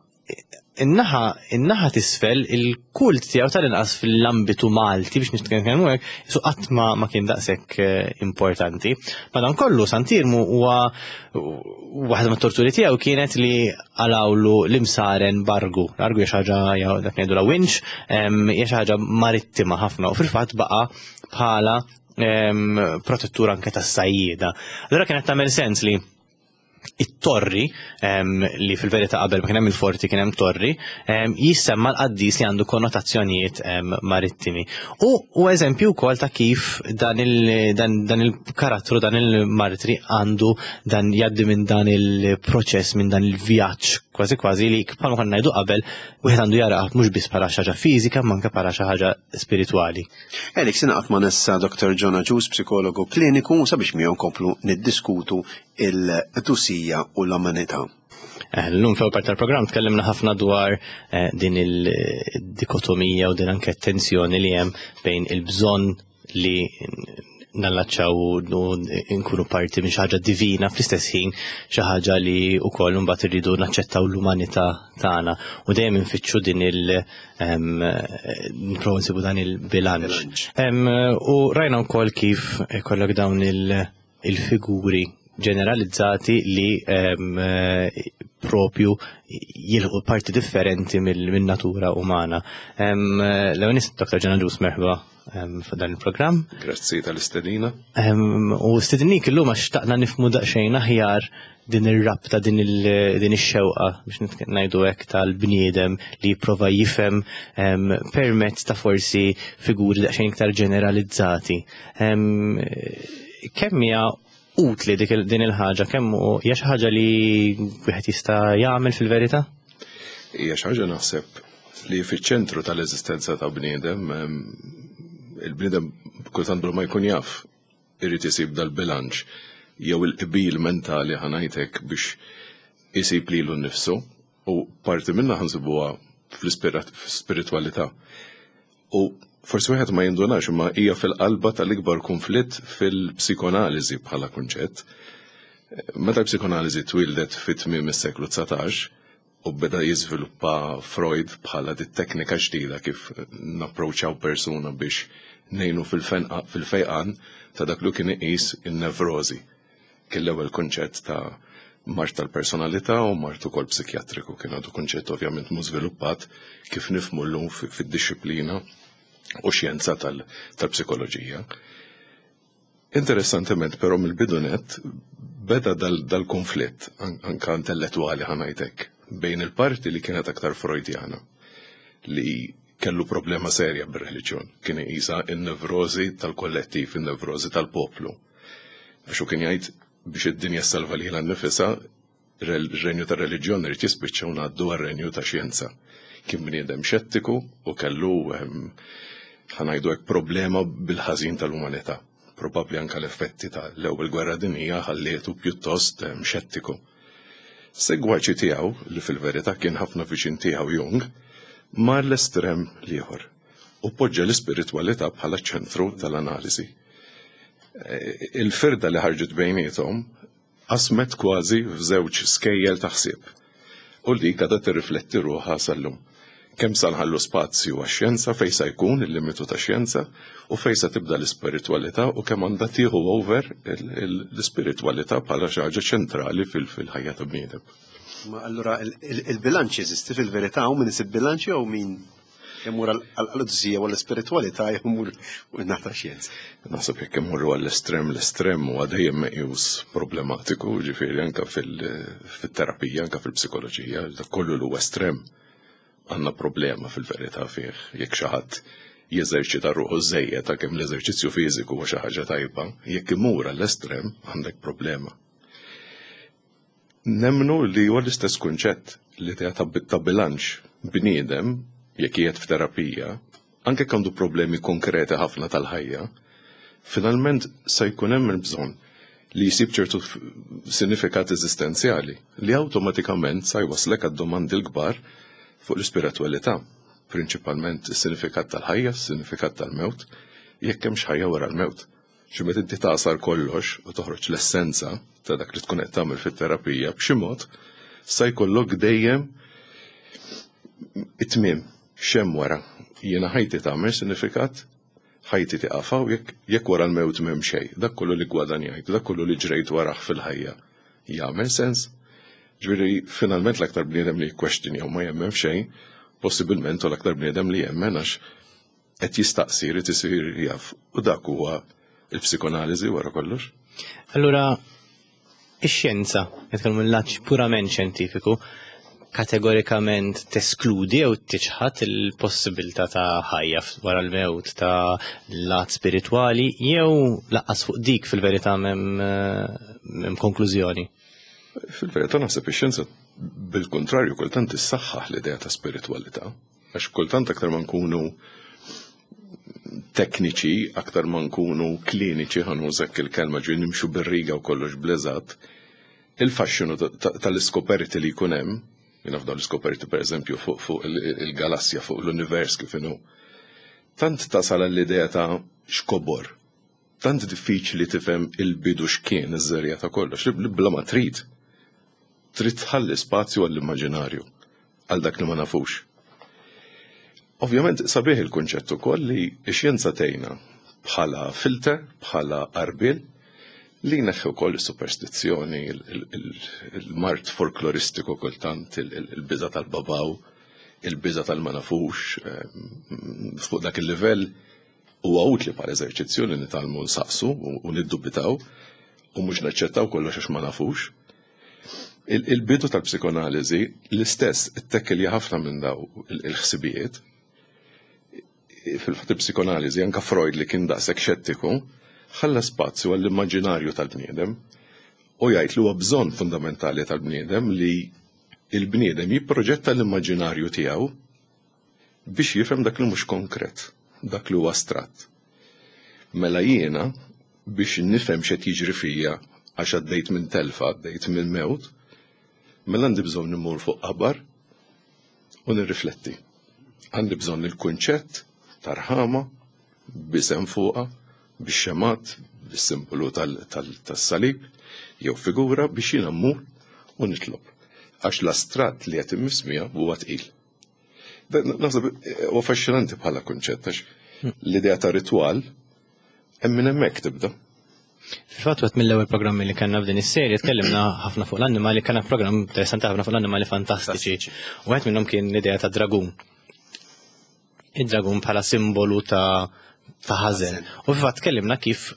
in-naħa in-naħa t'isfel il-kult tiegħu tal-inqas fil-ambitu Malti biex nitkellmu hekk, su qatt ma, ma kien daqshekk eh, importanti. Madankollu Sant'Irmu huwa waħda mit-torturi tiegħu kienet li għalawlu l-imsaren bargu. L-argu hija xi ħaġa dak ngħidu la winch, hija xi ħaġa marittima ħafna u fil-fatt baqa' bħala protettur anke tas-sajjieda. Allura kienet tagħmel sens li It-torri, li fil-verità qabel ma kien hemm il-forti kien hemm torri, jissemma l-qaddis li għandu konnotazzjonijiet marittimi. U u eżempju wkoll ta' kif dan il-karattru, dan il-martri għandu dan jgħaddi minn dan il-proċess, minn dan il-vjaġġ kważi kważi li bħalma konna ngħidu qabel, wieħed għandu jara mhux biss bħala xi ħaġa fiżika, ma anke bħala xi ħaġa spiritwali. Alex, ingħaqad ma' nessa Dr. John Agius, psikologu kliniku, sabiex miegħu nkomplu niddiskutu il-qdusija u l-umanità. Llum fl-ewwel parti tal-programm tkellimna ħafna dwar din il-dikotomija u din anke tensjoni li hemm bejn il-bżonn li nallaċċaw u nkunu parti minn xi ħaġa divina fl-istess ħin xi ħaġa li wkoll imbagħad irridu naċċettaw l-umanità tagħna u dejjem infittxu din il nipprovaw nsibu dan il-bilanċ. U rajna wkoll kif ikollok dawn il-figuri ġeneralizzati li propju jilħu parti differenti mill-natura umana. L-ewwel Dr. Ġena Ġus, merħba f'dan il-programm. Grazzi tal-istedina. U stedinnik illum għax xtaqna nifmu daqsxejn aħjar din ir-rabta, din ix-xewqa biex ngħidu hekk tal-bniedem li jipprova jifhem permezz ta' forsi figuri daqsxejn iktar ġeneralizzati. Kemm hija utli din il-ħaġa, kemm hija xi ħaġa li wieħed jista' jagħmel fil-verità? Hija xi ħaġa naħseb li fiċ-ċentru tal-eżistenza ta' bniedem, il-bniedem kultant bla ma jkun jaf irid isib dal-bilanċ jew il-qbil mentali ħanajtek biex isib lilu nnifsu, u parti minna ħansibuha fl-ispiritwalità. U forsi wieħed ma jindunax imma hija fil-qalba tal-ikbar konflitt fil-psikonaliżi bħala kunċett. Meta l-psikonaliżi twildet fit-tmiem is-seklu 19 u beda jiżviluppa Freud bħala dit teknika ġdida kif napproċċjaw persuna biex ngħinu fil-fejqan ta' dak li kien iqis in-nevrożi. Kien l-ewwel kunċett ta' mard tal-personalità u mard ukoll psikjatriku, kien għadu kunċett ovvjament mhux żviluppat kif nifhmu llum fid-dixxiplina u xjenza tal-psikoloġija. Interessantement però mill-bidu nett beda dal-konflitt anka intellettwali ħanajtek bejn il-parti li kienet aktar Freudjana li kellu problema serja bir-reliġjon, kien iqisha n-nevrożi tal-kollettiv, in-nevrożi tal-poplu. Għax hu kien jgħid biex id-dinja ssalva lilha nnifisha, ir-renju tar-reliġjon irid jispiċċa u ngħaddu għar-renju ta' xjenza. Kien bniedem xettiku u kellu ħanajdu hekk problema bil-ħażin tal-umanità. Probabbli anke l-effetti tal-ewwel gwerra dinjija ħallietu pjuttost xettiku. Segwaċi tiegħu, li fil-verità kien ħafna viċin tiegħu Jung, mar l-estrem l-ieħor u poġġa l-ispiritwalità bħala ċentru tal-analiżi. Il-firda li ħarġet bejniethom qasmet kważi f'żewġ skejjel ta' ħsieb u dik għadha tirrifletti ruħha sal-lum. Kemm sa nħallu spazju għax-xjenza, fejn sa jkun il-limitu tax-xjenza u fejn sa tibda l-ispiritwalità u kemm għandha tieħu over l-ispiritwalità bħala xi ħaġa ċentrali fil-ħajja ta' bniedem. Ma allura il-bilanċ jeżisti fil-verità u min isib bilanċ jew min imur għall-qdusija u għall-ispiritwalità jew imur naħa tax-xjenza. Naħseb jekk imorru għall-estrem, l-estrem huwa dejjem meqjus problematiku, ġifieri anke fil-terapija, anke fil-psikoloġija, dak kollu li huwa estrem għandna problema fil-verità fih. Jekk xi ħadd jeżerċita ruħu żejjed ta' kemm l-eżerċizzju fiżiku huwa xi ħaġa tajba, jekk imur għall-estrem għandek problema. Nemmnu li huwa l-istess kunċett, l-idea ta' bilanċ. Bniedem, jekk qiegħed f'terapija, anke jekk għandu problemi konkreti ħafna tal-ħajja, finalment se jkun hemm il-bżonn li jsib ċertu sinifikat eżistenzjali li awtomatikament sa jwasslek għad-domandi l-kbar fuq l-ispiritwalità, prinċipalment is-sinifikat tal-ħajja, is-sinifikat tal-mewt, jekk hemmx ħajja wara l-mewt. Xi meta inti tagħsar kollox u toħroġ l-essenza ta' dak li tkun qed tagħmel fit-terapija b'xi mod sa jkollok dejjem it-tmiem x'hemm wara. Jiena ħajti tagħmel sinifikat, ħajti tieqaf hawn jekk jekk wara l-mewt m'hemm xejn, dak kollu li ggwadanjajt, dak kollu li ġrejt warah fil-ħajja jagħmel sens? Ġifieri finalment l-aktar bniedem li jikkwextinja u ma jemmen f'xejn, possibilment hu l-aktar bniedem li jemmen għax qed jistaqsi, jrid isir jaf. U dak huwa il-psikonaliżi wara kollox. Allura, Ix-xjenza, nitkellmu mill-lat purament xjentifiku, kategorikament teskludi jew tiċħad il-possibilità ta' ħajja wara l-mewt, ta' lat spiritwali, jew laqqas fuq dik fil-verità m'hemm konklużjoni? Fil-verità naħseb ix-xjenza bil-kontrarju kultant issaħħaħ l-idea ta' spiritwalità. Għax kultant aktar ma nkunu tekniċi, aktar ma nkunu kliniċi, ħa nuża il-kelma ġi nimxu bir-riga u kollox bleżat, il-faxxinu tal-iskoperti li jkun hemm, jiena f'dawn l-iskoperti pereżempju fuq il-galassja, fuq l-univers kif inhu, tant tasal l-idea ta' xkobor, tant diffiċli tifhem il-bidu x'kien iż-żerja ta' kollox, li bla ma trid, trid tħalli spazju għall-immaġinarju, għal dak li ma nafux. Ovvjament sabiħ il-kunċett ukoll li x-xjenza tgħinna bħala filter, bħala qarbiel, li jneħħi wkoll is-superstizzjoni, il-mard folkloristiku kultant, il-biża' tal-babaw, il-biża' tal-ma nafux, fuq dak il-livell huwa utli bħala eżerċizzju li nitgħallmu nsaqsu u niddubitaw u mhux naċċettaw kollox għax ma nafux. Il-bidu tal-psikoanaliżi l-istess ittekkelja ħafna minn daw il-ħsibijiet. Fil-fatt il-psikoanaliżi anka Freud li kien daqshekk xettiku, ħalla spazju għall-immaġinarju tal-bniedem u jgħid li huwa bżonn fundamentali tal-bniedem li il-bniedem jipproġetta l-immaġinarju tiegħu biex jifhem dak li mhux konkret, dak li huwa astratt. Mela jiena biex nifhem x'qed jiġri fija għax għaddejt minn telfa, għaddejt minn mewt, mela għandi bżonn immur fuq qabar u nirrifletti. Għandi bżonn il-kunċett tarħama b'isem fuqha, bix-xemat, bis-simbolu tas-salib, jew figura biex jiena mmur u nitlob. Għax l-astratt li qed immiss miegħu huwa tqil. Naħseb huwa affaxxinanti bħala kunċett għax l-idea ta' ritwal hemm minn hemmhekk tibda. Fil-fatt wieħed mill-ewwel programmi li kellna f'din is-serje tkellimna ħafna fuq l-annimali, kellna programm interessanti ħafna fuq l-annimali fantastiċi. U wieħed minnhom kien l-idea ta' dragun. Id-dragun bħala simbolu ta' ta' ħażen. U fil-fatt tkellimna kif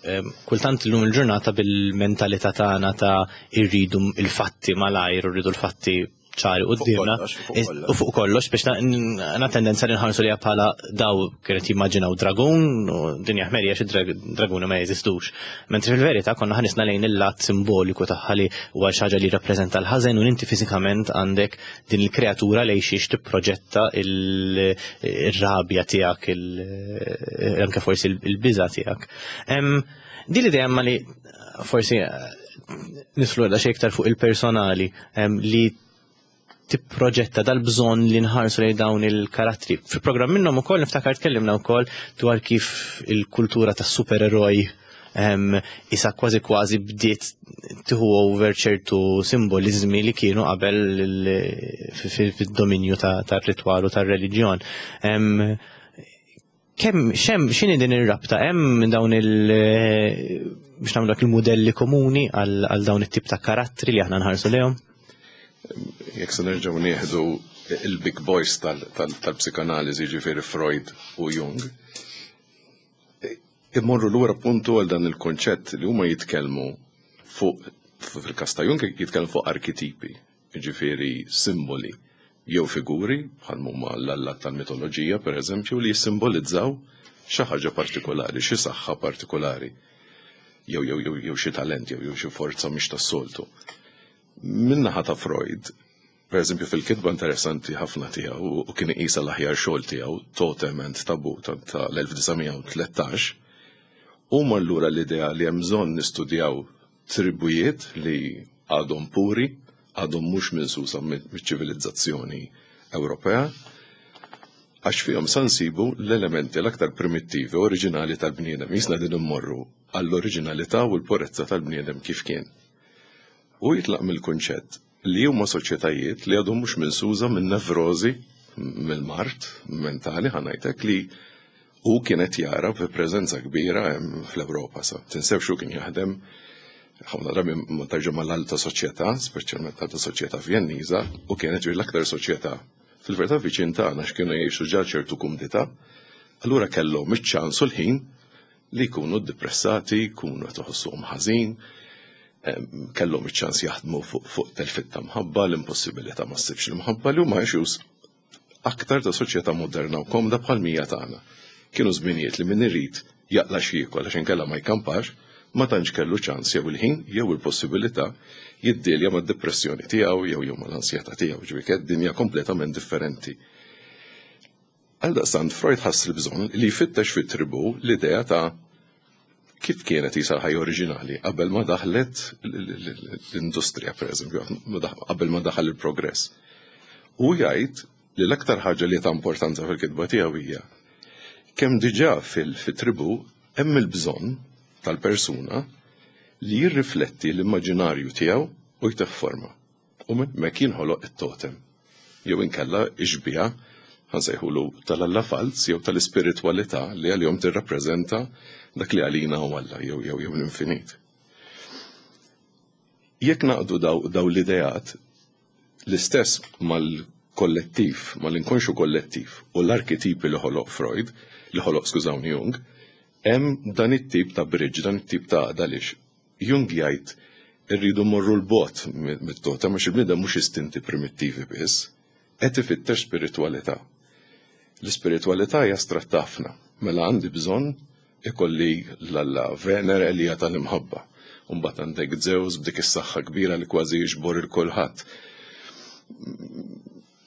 kultant illum il-ġurnata bil-mentalità tagħna ta' irridu il-fatti malajr u rridu l-fatti ċari quddiemna u fuq kollox biex għandna tendenza li nħarsu li bħala daw kienet jimmaġinaw dragun u dinja ħmerija xi draguni ma jeżistux. Mentri fil-verità konna ħanisna lejn il-lat simboliku tagħha li huwa xi ħaġa li jirrappreżenta l-ħażen u inti fiżikament għandek din il-kreatura lejn xiex tipproġetta il-rabja tiegħek, anke forsi il-biża' tiegħek. Din l-idea ma li forsi nislu għadha xejn iktar fuq il-personali li tipproġetta dal-bżonn li nħarsu lejn dawn il-karattri. Fil-programm minnhom ukoll niftakar tkellimna wkoll dwar kif il-kultura tas-supereroj isa kważi kważi bdiet tieħu over ċertu simbolizmi li kienu qabel fid-dominju tar-ritwal u tar-reliġjon. Kemm xem x'inhi din ir-rabta hemm dawn il biex nagħmlu dak il-mudelli komuni għal dawn it-tip ta' karattri li aħna nħarsu lejhom? Jekk se nerġgħu nieħdu il-big boys tal-psikanaliżi ġifieri Freud u Jung, immorru lura puntu għal dan il-konċett li huma jitkellmu fuq fil-każ ta' Jung jitkellmu fuq arkitipi, jiġifieri simboli jew figuri bħal huma l-allat tal-mitoloġija pereżempju li jissimbolizzaw xi ħaġa partikolari, xi saħħa partikolari, jew jew jew jew xi talent jew jew xi forza mhix tas-soltu. Min-naħa ta' Freud, pereżempju fil-kitba interessanti ħafna tiegħu u kien iqisha l-aħjar xogħol tiegħu, Totem and Taboo tal-1913, huma allura l-idea li hemm bżonn nistudjaw tribujiet li għadhom puri, għadhom mhux minsusa miċ-ċivilizzazzjoni Ewropea, għax fihom sa nsibu l-elementi l-aktar primittivi, oriġinali tal-bniedem. Jisna din immorru għall-oriġinalità u l-purezza tal-bniedem kif kien. U jitlaq mill-kunċett li huma soċjetajiet li għadhom mhux minsuża minn nevrożi, mill-mard mentali ħa ngħidlek li hu kien qed jara fi preżenza kbira hemm fl-Ewropa sa. Tinsewx hu kien jaħdem ħafna drabi ma tarġa' mal-alta soċjetà, speċjalment alta soċjetà Vjenniża, u kienet ġifieri l-aktar soċjetà fil-verità viċin tagħna x'kienu jgħixu ġa ċertu kumdità, allura kellhom iċ-ċans u l-ħin li jkunu ddepressati, jkunu qed iħossuhom ħażin. Kellhom iċ-ċans jaħdmu fuq telfit ta' mħabba, l-impossibilità ma ssibx l-imħabba li huma issues aktar ta' soċjetà moderna u komda bħal mija tagħna. Kienu żminijiet li min irid jaqla' x'jiekol għax inkella ma jkampax, ma tantx kellu ċans jew il-ħin jew il-possibilità jiddilja mad-depressjoni tiegħu jew jew mal-ansjetà tiegħu, ġifieri kienet dinja kompletament differenti. Għaldaqstant Freud ħass il-bżonn li jfittex fit-tribù l-idea ta' kif kienet jisa l-ħajja oriġinali qabel ma daħlet l-industrija, per eżempju, qabel ma daħal il-progress. U jgħid li l-aktar ħaġa li ta' importanza fil-kitba tiegħu hija kemm diġà fil-tribù hemm il-bżonn tal-persuna li jirrifletti l-immaġinarju tiegħu u jtih forma. U minn hemmhekk jinħoloq it-totem. Jew inkella x-xbieha, ħa nsejħulu tal-Alla falz jew tal-ispiritwalità li għalihom tirrappreżenta dak li għalina hu Alla jew jew jew l-infinit. Jekk naqdu daw, daw l-ideat l-istess mal-kollettiv, mal-inkonxju kollettiv u l-arketipi li ħoloq Freud, li ħoloq skużawni Jung, hemm dan it-tip ta' bridge, dan it-tip ta' għaqda għaliex Jung jgħid irridu mmorru 'l bogħod mit-totem għax il-bniedem mhux istinti primittivi biss, qed ifittex spiritwalità. L-ispiritwalità hija astratta ħafna, mela għandi bżonn ikolli l-alla Venere li hija tal-imħabba. U mbagħad għandek Zeus b'dik is-saħħa kbira li kważi jiġbor il kulħadd.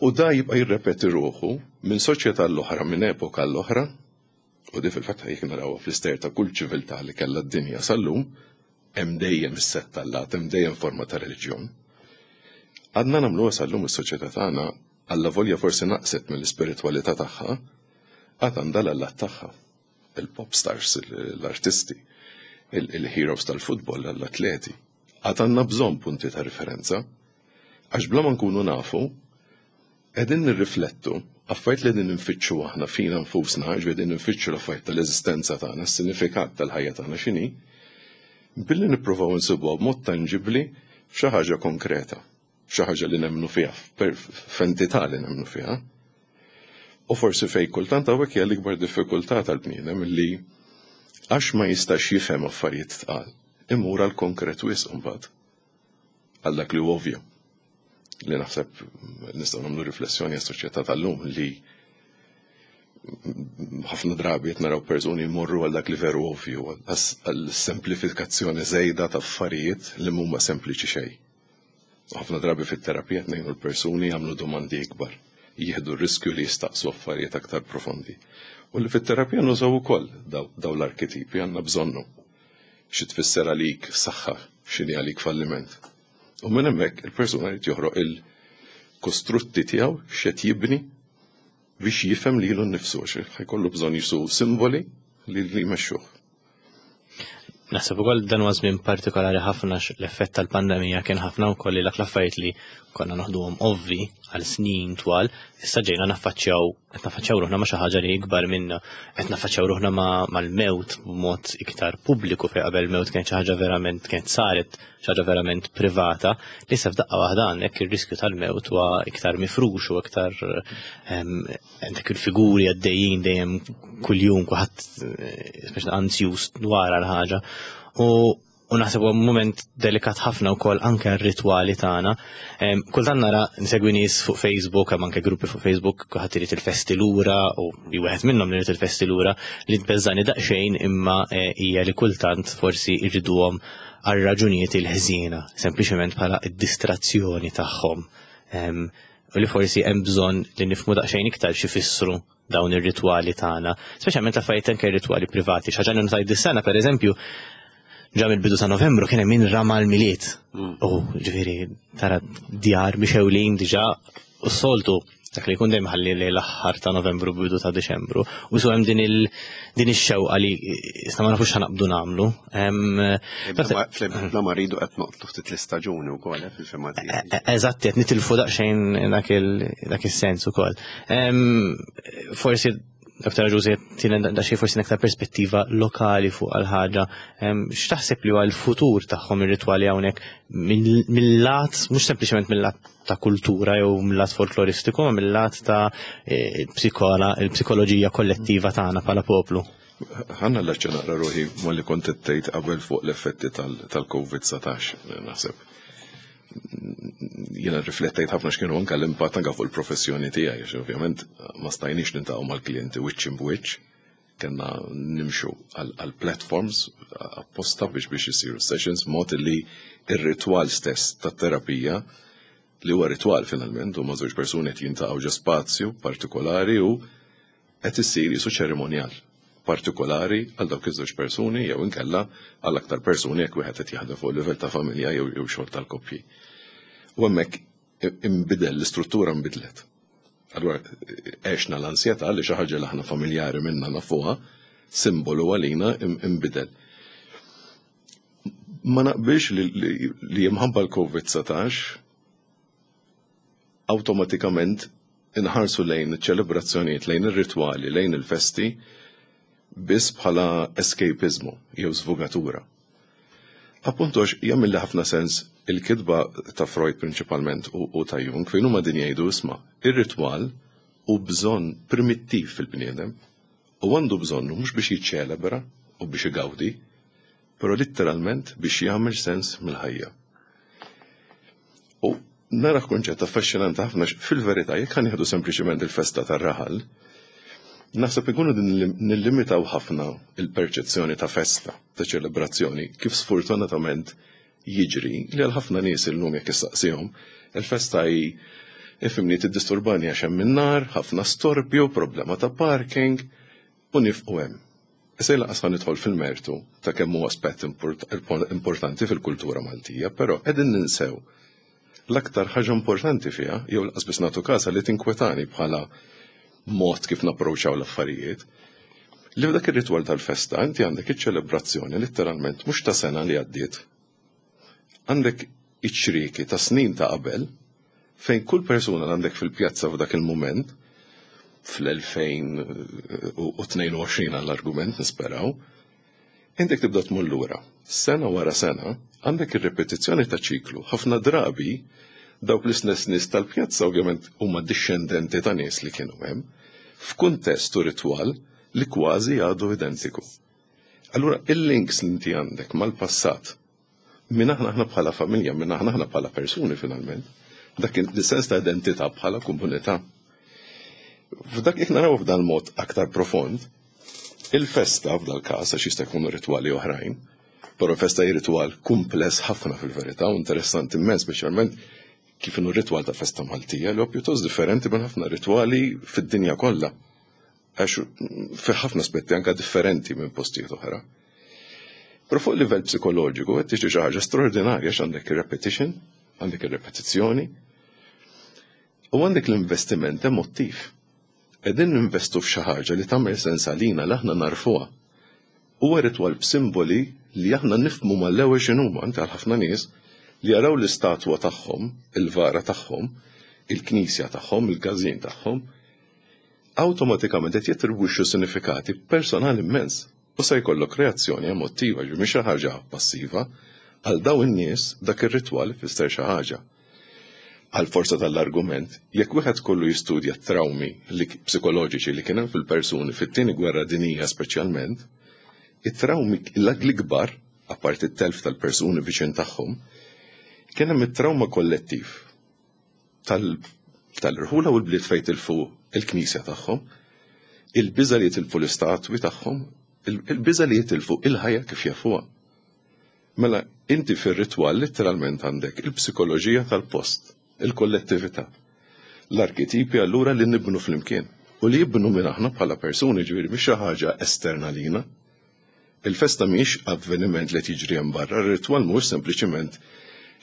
U da jibqa' jirrepeti ruħu minn soċjetà l-oħra, minn epoka l-oħra, U di fil-fatt jekk narawha fl-istejjer ta' kull ċiviltà li kellha d-dinja sal-lum, hemm dejjem is-sett t'allat, hemm dejjem forma ta' reliġjon. Għadna nagħmluha sal-lum is-soċjetà tagħna allavolja forsi naqset mill-ispiritwalità tagħha, għad għandha l-allat tagħha. Il-pop stars, l-artisti, il-heroes tal-futbol, l-atleti. Għad għandna bżonn punti ta' riferenza. Għax bla ma nkunu nafu, Qegħdin nirriflettu affarijiet li qegħdin infittxu aħna fina nfusna, ġifieri qegħdin infittxu l-affarijiet tal-eżistenza tagħna, s-sinifikat tal-ħajja tagħna x'inhi, billi nippruvaw insibuha b'mod tanġibbli f'xi ħaġa konkreta, f'xi ħaġa li nemmnu fiha, f'entità li nemmnu fiha. U forsi fejn kultant hawnhekk hija l-ikbar diffikultà tal-bniedem li għax ma jistax jifhem affarijiet tqal, imur għal konkret wisq imbagħad. Għal dak li hu ovvju. Li naħseb nistgħu nagħmlu riflessjoni għas-soċjetà tal-lum li ħafna drabi qed naraw persuni jmorru għal dak li veru ovvju, għal semplifikazzjoni żejda ta' affarijiet li mhuma sempliċi xejn. Ħafna drabi fit-terapija qed ngħinu l-persuni jagħmlu domandi ikbar, jieħdu r-riskju li jistaqsu affarijiet aktar profondi. U li fit-terapija nużaw ukoll daw l-arketipi għandna bżonnu. Xi tfisser għalik saħħa, x'inhi għalik falliment. U minn hemmhekk il-persuna jrid joħroq il-kostrutti tiegħu x'qed jibni biex jifhem lilu nnifsu għax ħajkollu bżonn jisu simboli li jmexxuh. Naħseb ukoll dan huwa żmien partikolari ħafna l-effett tal-pandemija kien ħafna wkoll li dak l-affarijiet li konna noħduhom ovvi għal snin twal, issa ġejna naffaċċjaw qed nafaċċjaw ruħna ma' xi ħaġa li ikbar minna, qed nafaċċjaw ruħna mal-mewt b'mod iktar pubbliku fejn qabel mewt kienet xi ħaġa verament kienet saret xi ħaġa verament privata, li issa f'daqqa waħda għandek ir-riskju tal-mewt huwa iktar mifrux u iktar ehm, għandek il-figuri għaddejjin dejjem kuljum kulħadd eh, speċi anzjuż dwar għal ħaġa. U u naħseb huwa mument delikat ħafna wkoll anke r-ritwali tagħna. Kultant nara nsegwi nies fuq Facebook, hemm anke gruppi fuq Facebook kulħadd irid il-festi lura u wieħed minnhom li irid il-festi lura li tbeżżani daqsxejn imma eh, hija li kultant forsi jriduhom għal raġunijiet il-ħżiena, sempliċement bħala id-distrazzjoni tagħhom. U li forsi hemm bżonn li nifhmu daqsxejn iktar x'ifissru dawn ir-ritwali tagħna, speċjalment l-affarijiet anke ritwali privati. Xi ħaġa li notajt dis-sena pereżempju, ġa mill-bidu ta' Novembru kien hemm min rama l-Milied. U ġifieri tara djar mixewlin diġà u s-soltu dak li jkun dejjem ħalli lejn l-aħħar ta' Novembru bidu ta' Diċembru. U su hemm din il din ix-xewqa li issa ma nafux ħanaqbdu nagħmlu. Bla ma rridu qed noqtlu ftit l-istaġuni wkoll eh, fil-fema tiegħi. E, e, eżatt, qed nitilfu daqsxejn dak is-sens ukoll. Forsi Dr. Ġużi tina daqsxejn forsi aktar perspettiva lokali fuq għal-ħaġa. X'taħseb li huwa l-futur tagħhom ir-ritwali hawnhekk mill-lat, mhux sempliċement mill-lat ta' kultura jew mill-lat folkloristiku, ma mill-lat ta' e, psikola, il-psikoloġija kollettiva tagħna bħala poplu. Ħanna l naqra ruħi ma li kont tgħid qabel fuq l-effetti tal-COVID-19, naħseb. Jiena riflettejt ħafna x'kienu anke l-impatt anke fuq il-professjoni tiegħi, għax ovvjament ma stajniex niltaqgħu mal-klijenti wiċċ imb'wiċċ, kellna nimxu għal platforms apposta biex isiru sessions mod li ir-ritwal stess tat-terapija, li huwa ritwal finalment, huma żewġ persuni qed jiltaqgħu ġo spazju partikolari u qed issir jisu ċerimonjal partikolari għal dawk iż-żewġ persuni jew inkella għal aktar persuni jekk wieħed qed jaħdem fuq livell ta' familja jew xogħol tal-koppji. U hemmhekk imbidel, l-istruttura nbidlet. Allura għexna l-ansjetà li xi ħaġa li aħna familjari minna nafuha, simbolu għalina imbidel. Ma naqbilx li minħabba l-COVID-19 awtomatikament inħarsu lejn ċelebrazzjonijiet, lejn ir-ritwali, lejn il-festi biss bħala escapismu jew svugatura. Appunto jagħmel ħafna sens il-kitba ta' Freud prinċipalment u ta' Jung fejn huma din jgħidu, isma', ir-ritwal hu bżonn primittiv fil-bniedem u għandu bżonnu mhux biex jiċċelebra u biex igawdi, però letteralment biex jagħmel sens mill-ħajja. U nara kunċett affaxxinanti ħafna fil-verità, jekk ħa nieħdu sempliċement il-festa tar-raħal, naħseb ikunu nillimitaw ħafna il-perċezzjoni ta' festa, ta' ċelebrazzjoni, kif sfortunatament jiġri li għal ħafna nies illum jekk issaqsihom, il-festa hi, ifhimni, tiddisturbani għax hemm in-nar, ħafna storbju, problema ta' parking, u nieqfu hemm. Issa lanqas ħa nidħol fil-mertu ta' kemm huwa aspett importanti fil-kultura Maltija, però qegħdin ninsew l-aktar ħaġa importanti fiha, jew lanqas biss nagħtu każha li tinkwetani bħala mod kif napproċċaw l-affarijiet, li f'dak ir-ritwal tal-festa inti għandek iċ-ċelebrazzjoni letteralment mhux ta' sena li għaddiet. Għandek iċ-ċrieki ta' snin ta' qabel fejn kull persuna li għandek fil-pjazza f'dak il-moment fl-2022 għall-argument nisperaw, intek tibda tmur lura. Sena wara sena għandek ir-repetizzjoni ta' ċiklu. Ħafna drabi dawk l-istess nies tal-pjazza ovvjament huma dixxendenti ta' nies li kienu hemm f'kuntest u ritwal li kważi għadu identiku. Allura il-links li inti għandek mal-passat, minn aħna aħna bħala familja, minn aħna aħna bħala persuni finalment, dak il-sens ta' identità bħala komunità. F'dak jekk naraw f'dan mod aktar profond, il-festa f'dal każ, għax jista' jkunu ritwali oħrajn, però festa hi ritwal kumpless ħafna fil-verità u interessanti immens, speċjalment kif inhu ritwal ta' festa Maltija li huwa pjuttost differenti minn ħafna ritwali fid-dinja kollha. Għax fi ħafna aspetti anka differenti minn postijiet oħra. Però fuq livell psikoloġiku qed tiġi xi ħaġa straordinarja għax għandek ir-repetition, għandek ir-repetizzjoni, u għandek l-investiment emottiv. Qegħdin ninvestu f'xi ħaġa li tagħmel sens għalina li aħna narfuha. Huwa ritwal b'simboli li aħna nifhmu mal-ewwel x'inhuma, anke għal ħafna nies li jaraw l-istatwa tagħhom, il-vara tagħhom, il-knisja tagħhom, il-każin tagħhom, awtomatikament qed jattribwixxu sinifikati personali immens. U se jkollok reazzjoni emottiva, ġi mhix xi ħaġa passiva, għal daw in-nies dak ir-ritwal ifisser xi ħaġa. Għal forza tal-argument, jekk wieħed kollu jistudja trawmi li psikoloġiċi li kien hemm fil-persuni fit-tieni gwerra dinija speċjalment, it-trawmi l-ikbar, apparti t-telf tal-persuni viċin tagħhom, kien hemm it-trawma kollettiv tal-irħula u l-bliet fejn tilfu il-knisja tagħhom, il-biża li jitilfu l-istatwi tagħhom, il-biża li jitilfu il-ħajja kif jafuha. Mela, inti fir-ritwal letteralment għandek il-psikoloġija tal-post, il-kollettività, l-arketipi allura li nibnu flimkien u li jibnu minn aħna bħala persuni, ġifieri mhix xi ħaġa esterna lina. Il-festa mhix avveniment li tiġri hemm barra, ir-ritwal mhux sempliċiment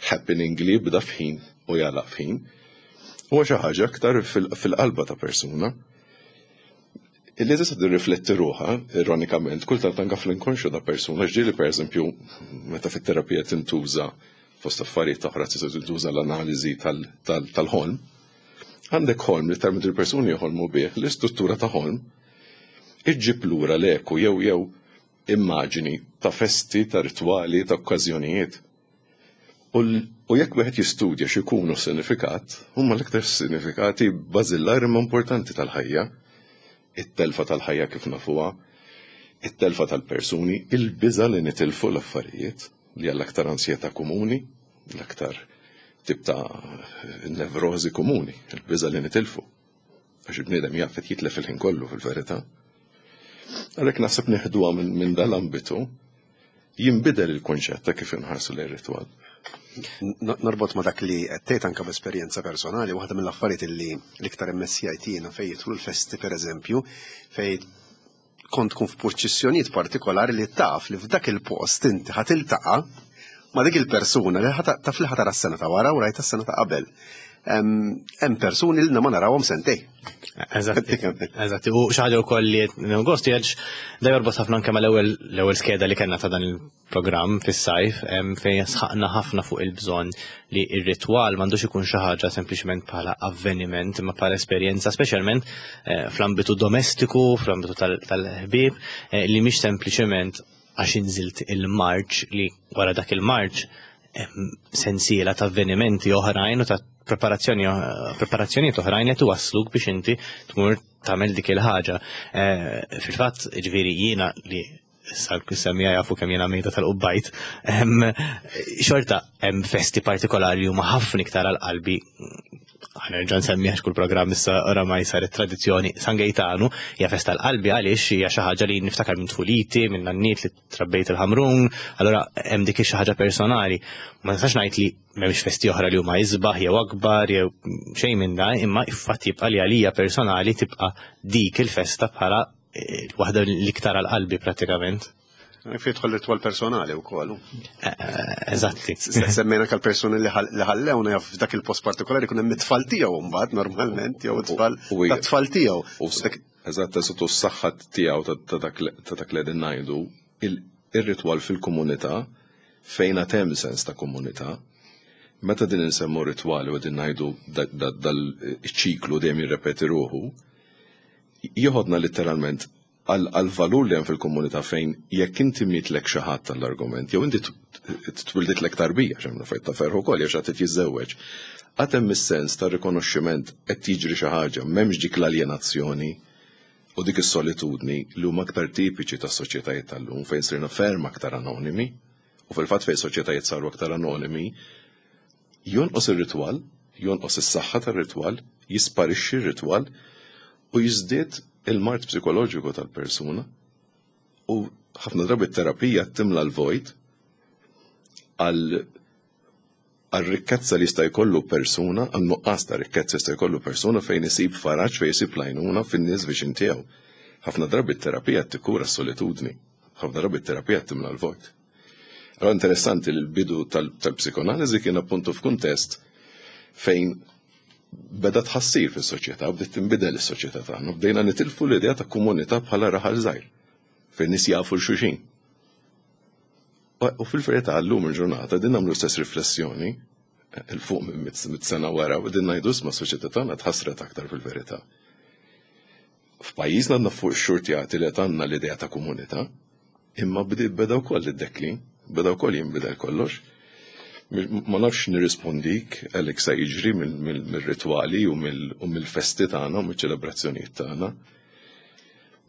happening li jibda f'ħin u jagħlaq f'ħin. Huwa xi ħaġa aktar fil-qalba ta' persuna. Illi tista' tirrifletti ruħha, ironikament, kultant anke fl-inkonxju ta' persuna, ġieli pereżempju meta fit-terapija tintuża fost affarijiet oħra tista' tintuża l-analiżi tal-ħolm. Għandek ħolm li termit il-persuni joħolmu bih, l-istruttura ta' ħolm iġġib lura l-eku jew immaġini ta' festi, ta' ritwali, ta' okkażjonijiet. U jekk wieħed jistudja x'ikunu sinifikat, huma l-iktar sinifikati bażillari ma importanti tal-ħajja, it-telfa tal-ħajja kif nafuha, It-telfa tal-persuni, il-biża' li nitilfu l-affarijiet, li hija l-aktar ansjetà komuni, l-aktar tip ta' nevrożi komuni, il-biża' li nitilfu. Għax il-bniedem jaf qed jitlef il-ħin kollu fil-verità. Għalhekk naħseb neħduha minn dal-ambitu jinbidel il-kunċett ta' kif inħarsu lejn ritwal. Norbot ma dak li qed tgħid anke b'esperjenza personali, waħda mill-affarijiet li l-iktar immessjajt jiena fejn jidħlu l-festi pereżempju, fejn kont tkun f'purċissjonijiet partikolari li taf li f'dak il-post inti ħa tiltaqa' ma' dik il-persuna li taf li ħa tara s-sena ta' wara u rajta s-sena ta' qabel. Hemm persuni li ma narawhom sentej. Eżatti, eżatti. U xi ħaġa wkoll li gost jgħidx da jorbot ħafna anke mal-ewwel l-ewwel skeda li kellna ta' dan il-programm fis-sajf fejn sħaqna ħafna fuq il-bżonn li r-ritwal m'għandux ikun xi ħaġa sempliċement bħala avveniment imma bħala esperjenza, speċjalment eh, fl-ambitu domestiku, fl-ambitu tal-ħbieb, eh, li mhix sempliċement għax inżilt il-marċ li wara dak il-marċ sensiela ta' avvenimenti oħrajn u ta' preparazzjoni preparazzjonijiet oħrajn li tuwassluk biex inti tmur tagħmel dik il-ħaġa. Eh, fil-fatt, ġifieri jiena li issa l-semmija jafu kemm jiena mejda tal-qubbajt, xorta hemm festi partikolari huma ħafna iktar għal qalbi ħanerġa' nsemmi għax kull programm issa oramai saret tradizzjoni San Gejtanu hija festa l-qalbi għaliex hija xi ħaġa li niftakar minn tfuliti, minn nanniet li trabbejt il-Ħamrun, allura hemm dik xi ħaġa personali. Ma nistax ngħid li m'hemmx festi oħra li huma isbaħ jew akbar jew xejn minn dan, imma fatt jibqa' li għalija personali tibqa' dik il-festa bħala eh, waħda l-iktar għal qalbi prattikament. Fi jidħol ritwal personali wkoll. Eh, eh, eżatti. Semmejna kal persuni li ħallewna jaf f'dak il-post partikolari kun hemm it-tfal tiegħu mbagħad normalment jew it-tfal tat-tfal tiegħu. Eżatt, eżatt u s-saħħa tiegħu ta' dak li qegħdin ngħidu, ir-ritwal fil-komunità fejn għad hemm sens ta' komunità, meta din insemmu ritwali u qegħdin ngħidu dal-ċiklu dejjem jirrepeti ruħu, jieħodna litteralment għall-valur li hemm fil-komunità fejn jekk inti mietlek xi ħadd tal-argument, jew inti twilditlek tarbija, x'hemm fejn ta' ferħ ukoll jew xi ħadd jiżżewweġ, għad hemm is-sens ta' rikonoxximent qed jiġri xi ħaġa, m'hemmx dik l-aljenazzjoni u dik is-solitudni li huma aktar tipiċi tas-soċjetajiet tal-lum fejn sirna ferm aktar anonimi u fil-fatt fejn soċjetajiet saru aktar anonimi jonqos ir-ritwal, jonqos is-saħħa tar-ritwal, jisparixxi r-ritwal u jiżdied il-mard psikoloġiku tal-persuna u ħafna drabi t-terapija timla l-vojt għal għal-rikkezza li jista' jkollu persuna, għal nuqqas ta' rikkezza jista' jkollu persuna fejn isib faraġ, fejn isib lajnuna fin-nies viċin tiegħu. Ħafna drabi t-terapija tikkura s-solitudni, ħafna drabi t-terapija timla l-vojt. Allora interessanti li l-bidu tal-psikoanaliżi kien appuntu f'kuntest fejn beda tħassir fis-soċjetà, bdiet tinbidel is-soċjetà tagħna, bdejna nitilfu l-idea ta' komunità bħala raħal żgħir fejn nies jafu l-xulxin. U fil-verità llum il-ġurnata din nagħmlu stess riflessjoni il fuq minn mit sena wara u din ngħidu isma' s-soċjetà tagħna tħassret aktar fil-verità. F'pajjiżna għandna fuq xurtjati li għandna l-idea ta' komunità, imma beda wkoll id-deklin, beda wkoll jinbidel kollox. Ma nafx nirrispondik għalhekk se jiġri mill-ritwali u mill-festi tagħna u mill-ċelebrazzjonijiet tagħna.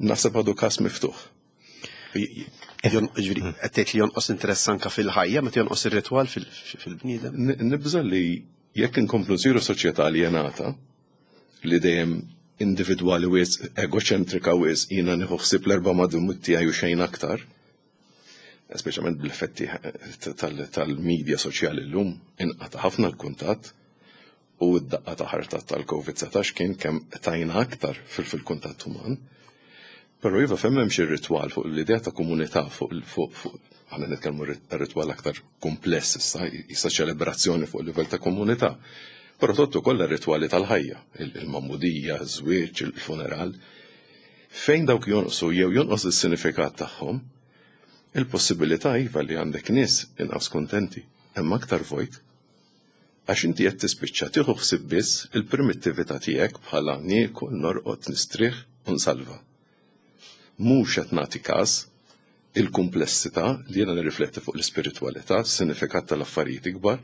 Naħseb għadu każ miftuħ. Ġifieri, qed tgħid li jonqos interess anke fil-ħajja meta jonqos ir-ritwal fil-bniedem? Nibża' li jekk inkomplu nsiru soċjetà aljenata, li dejjem individwali wisq, egoċentrika wisq, jiena nieħu ħsieb l-erba' madum tiegħi u xejn aktar, speċjalment bl-effetti tal-medja soċjali llum, inqata' ħafna l-kuntatt u d-daqqa ta' ħarta tal-COVID-19 kien kemm tajna aktar fil-kuntatt uman. Però iva fejn m'hemmx ir-ritwal fuq l-idea ta' komunità fuq fuq aħna nitkellmu ritwal aktar kumpless issa, issa ċelebrazzjoni fuq livell ta' komunità. Però tottu kollha ritwali tal-ħajja, il-magħmudija, iż-żwieġ, il-funeral. Fejn dawk jonqsu jew jonqos is-sinifikat tagħhom, il-possibilità iva li għandek nies inqas kuntenti, hemm aktar vojt. Għax inti qed tispiċċa tieħu ħsieb biss il-primittività tiegħek bħala niekol, norqod, nistrieħ u nsalva. Mhux qed nagħti każ il-kumplessità li jiena nirrifletti fuq l-ispiritwalità, s-sinifikat tal-affarijiet ikbar,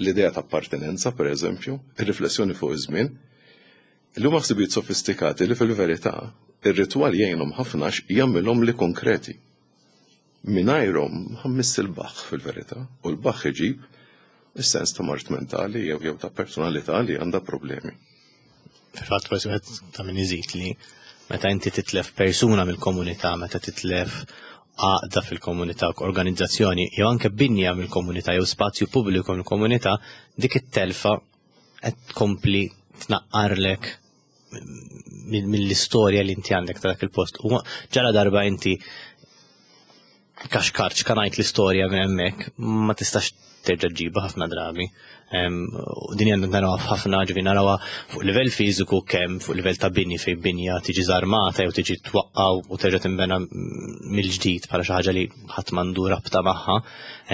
l-idea ta' appartenenza, per eżempju, ir-riflessjoni fuq iż-żmien, li huma ħsibijiet sofistikati li fil-verità Ir-ritwal jgħinhom ħafna għax jagħmilhom li konkreti. Mingħajrhom ħammiss il-baħħ fil-verità, u l-baħħ iġib is-sens ta' mard mentali jew jew ta' personalità li għandha problemi. Fil-fatt forsi wieħed ta' min iżid li meta inti titlef persuna mill-komunità, meta titlef għaqda fil-komunità, organizzazzjoni, jew anke binja mill-komunità jew spazju pubbliku mill-komunità, dik it-telfa qed tkompli tnaqqarlek mill-istorja li inti għandek ta' dak il-post. U ġara darba inti kaxkart xkanajt l-istorja minn hemmhekk, ma tistax terġa' ġġibha ħafna drabi. U din għandna narawha f'ħafna ġifi narawha fuq livell fiżiku kemm fuq livell ta' bini fejn binja tiġi żarmata jew tiġi twaqqa' u terġa' tinbena mill-ġdid bħala xi ħaġa li ħadd m'għandu rabta magħha.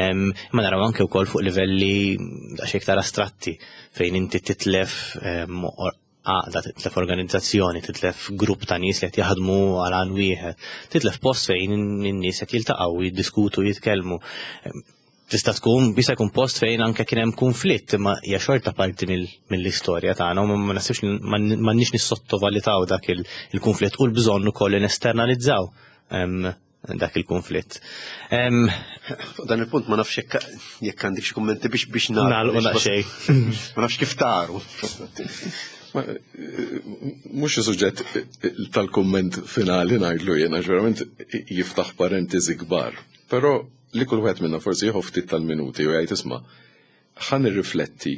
Imma naraw anke wkoll fuq livelli daqsxejn iktar astratti fejn inti titlef għaqda, titlef organizzazzjoni, titlef grupp ta' nies li qed jaħdmu għal għan wieħed, titlef post fejn in-nies qed jiltaqgħu, jiddiskutu, jitkellmu. Tista' tkun jista' jkun post fejn anke kien hemm kunflitt, imma hija xorta parti mill-istorja tagħna u ma nasibx m'għandniex nissottovalitaw dak il-kunflitt u l-bżonn ukoll li nesternalizzaw dak il-konflitt. Fuq dan il-punt ma nafx jekk għandek xi kummenti biex biex nagħlqu daqsxejn. Ma nafx kif taru. Mhux suġġett tal-kumment finali ngħidlu jiena verament jiftaħ parentesi kbar. Però li kull wieħed minna forsi jieħu ftit tal-minuti u jgħid isma' ħa nirrifletti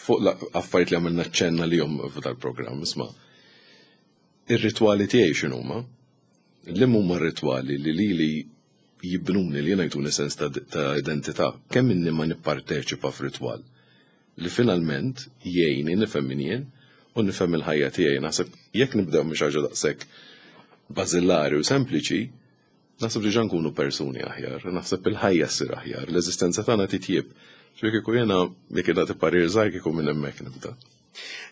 fuq affarijiet li għamilna ċenna li jom f'dal-programm, isma' ir-ritwali tiegħi x'inhuma? Liema huma r-ritwali li lili jibnuni, li jiena jtuni sens ta', ta identità? Kemm inni ma nipparteċipa f'ritwal li finalment jgħinni nifhem min jien u nifhem il-ħajja tiegħi. Naħseb jekk nibdew minn xi ħaġa daqshekk bażillari u sempliċi, naħseb diġà nkunu persuni aħjar, naħseb il-ħajja ssir aħjar, l-eżistenza tagħna titjieb. Ġifieri kieku jiena jekk nagħti parir żgħir kieku minn hemmhekk nibda.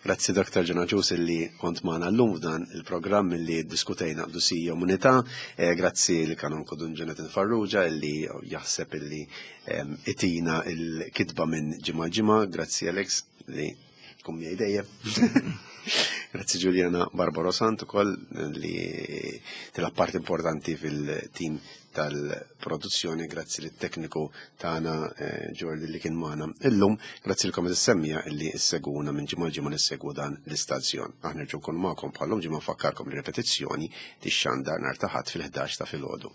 Grazzi Dr. John Agius illi kont magħna llum f'dan il-programm illi ddiskutejna qdusija u umanità. Eh, grazzi l kanonku Dun Jonathan Farrugia illi jaħseb illi ehm, itina il-kitba minn ġimgħa ġimgħa. Grazzi Alex li tkun miegħi dejjem. Grazzi Giuliana Barbaro Sant ukoll li tilab part importanti fil-tim tal-produzzjoni, grazzi lit tekniku tagħna eh, Jordi li kien magħna illum, grazzi lkom is-semmija illi ssegwuna minn ġimgħa ġimgħa nissegwu dan l-istazzjon. Aħna nerġgħu nkunu magħkom bħallum ġimgħa nfakkarkom li repetizzjoni tixxandar nhar ta' Ħadd fil-11 ta' filgħodu.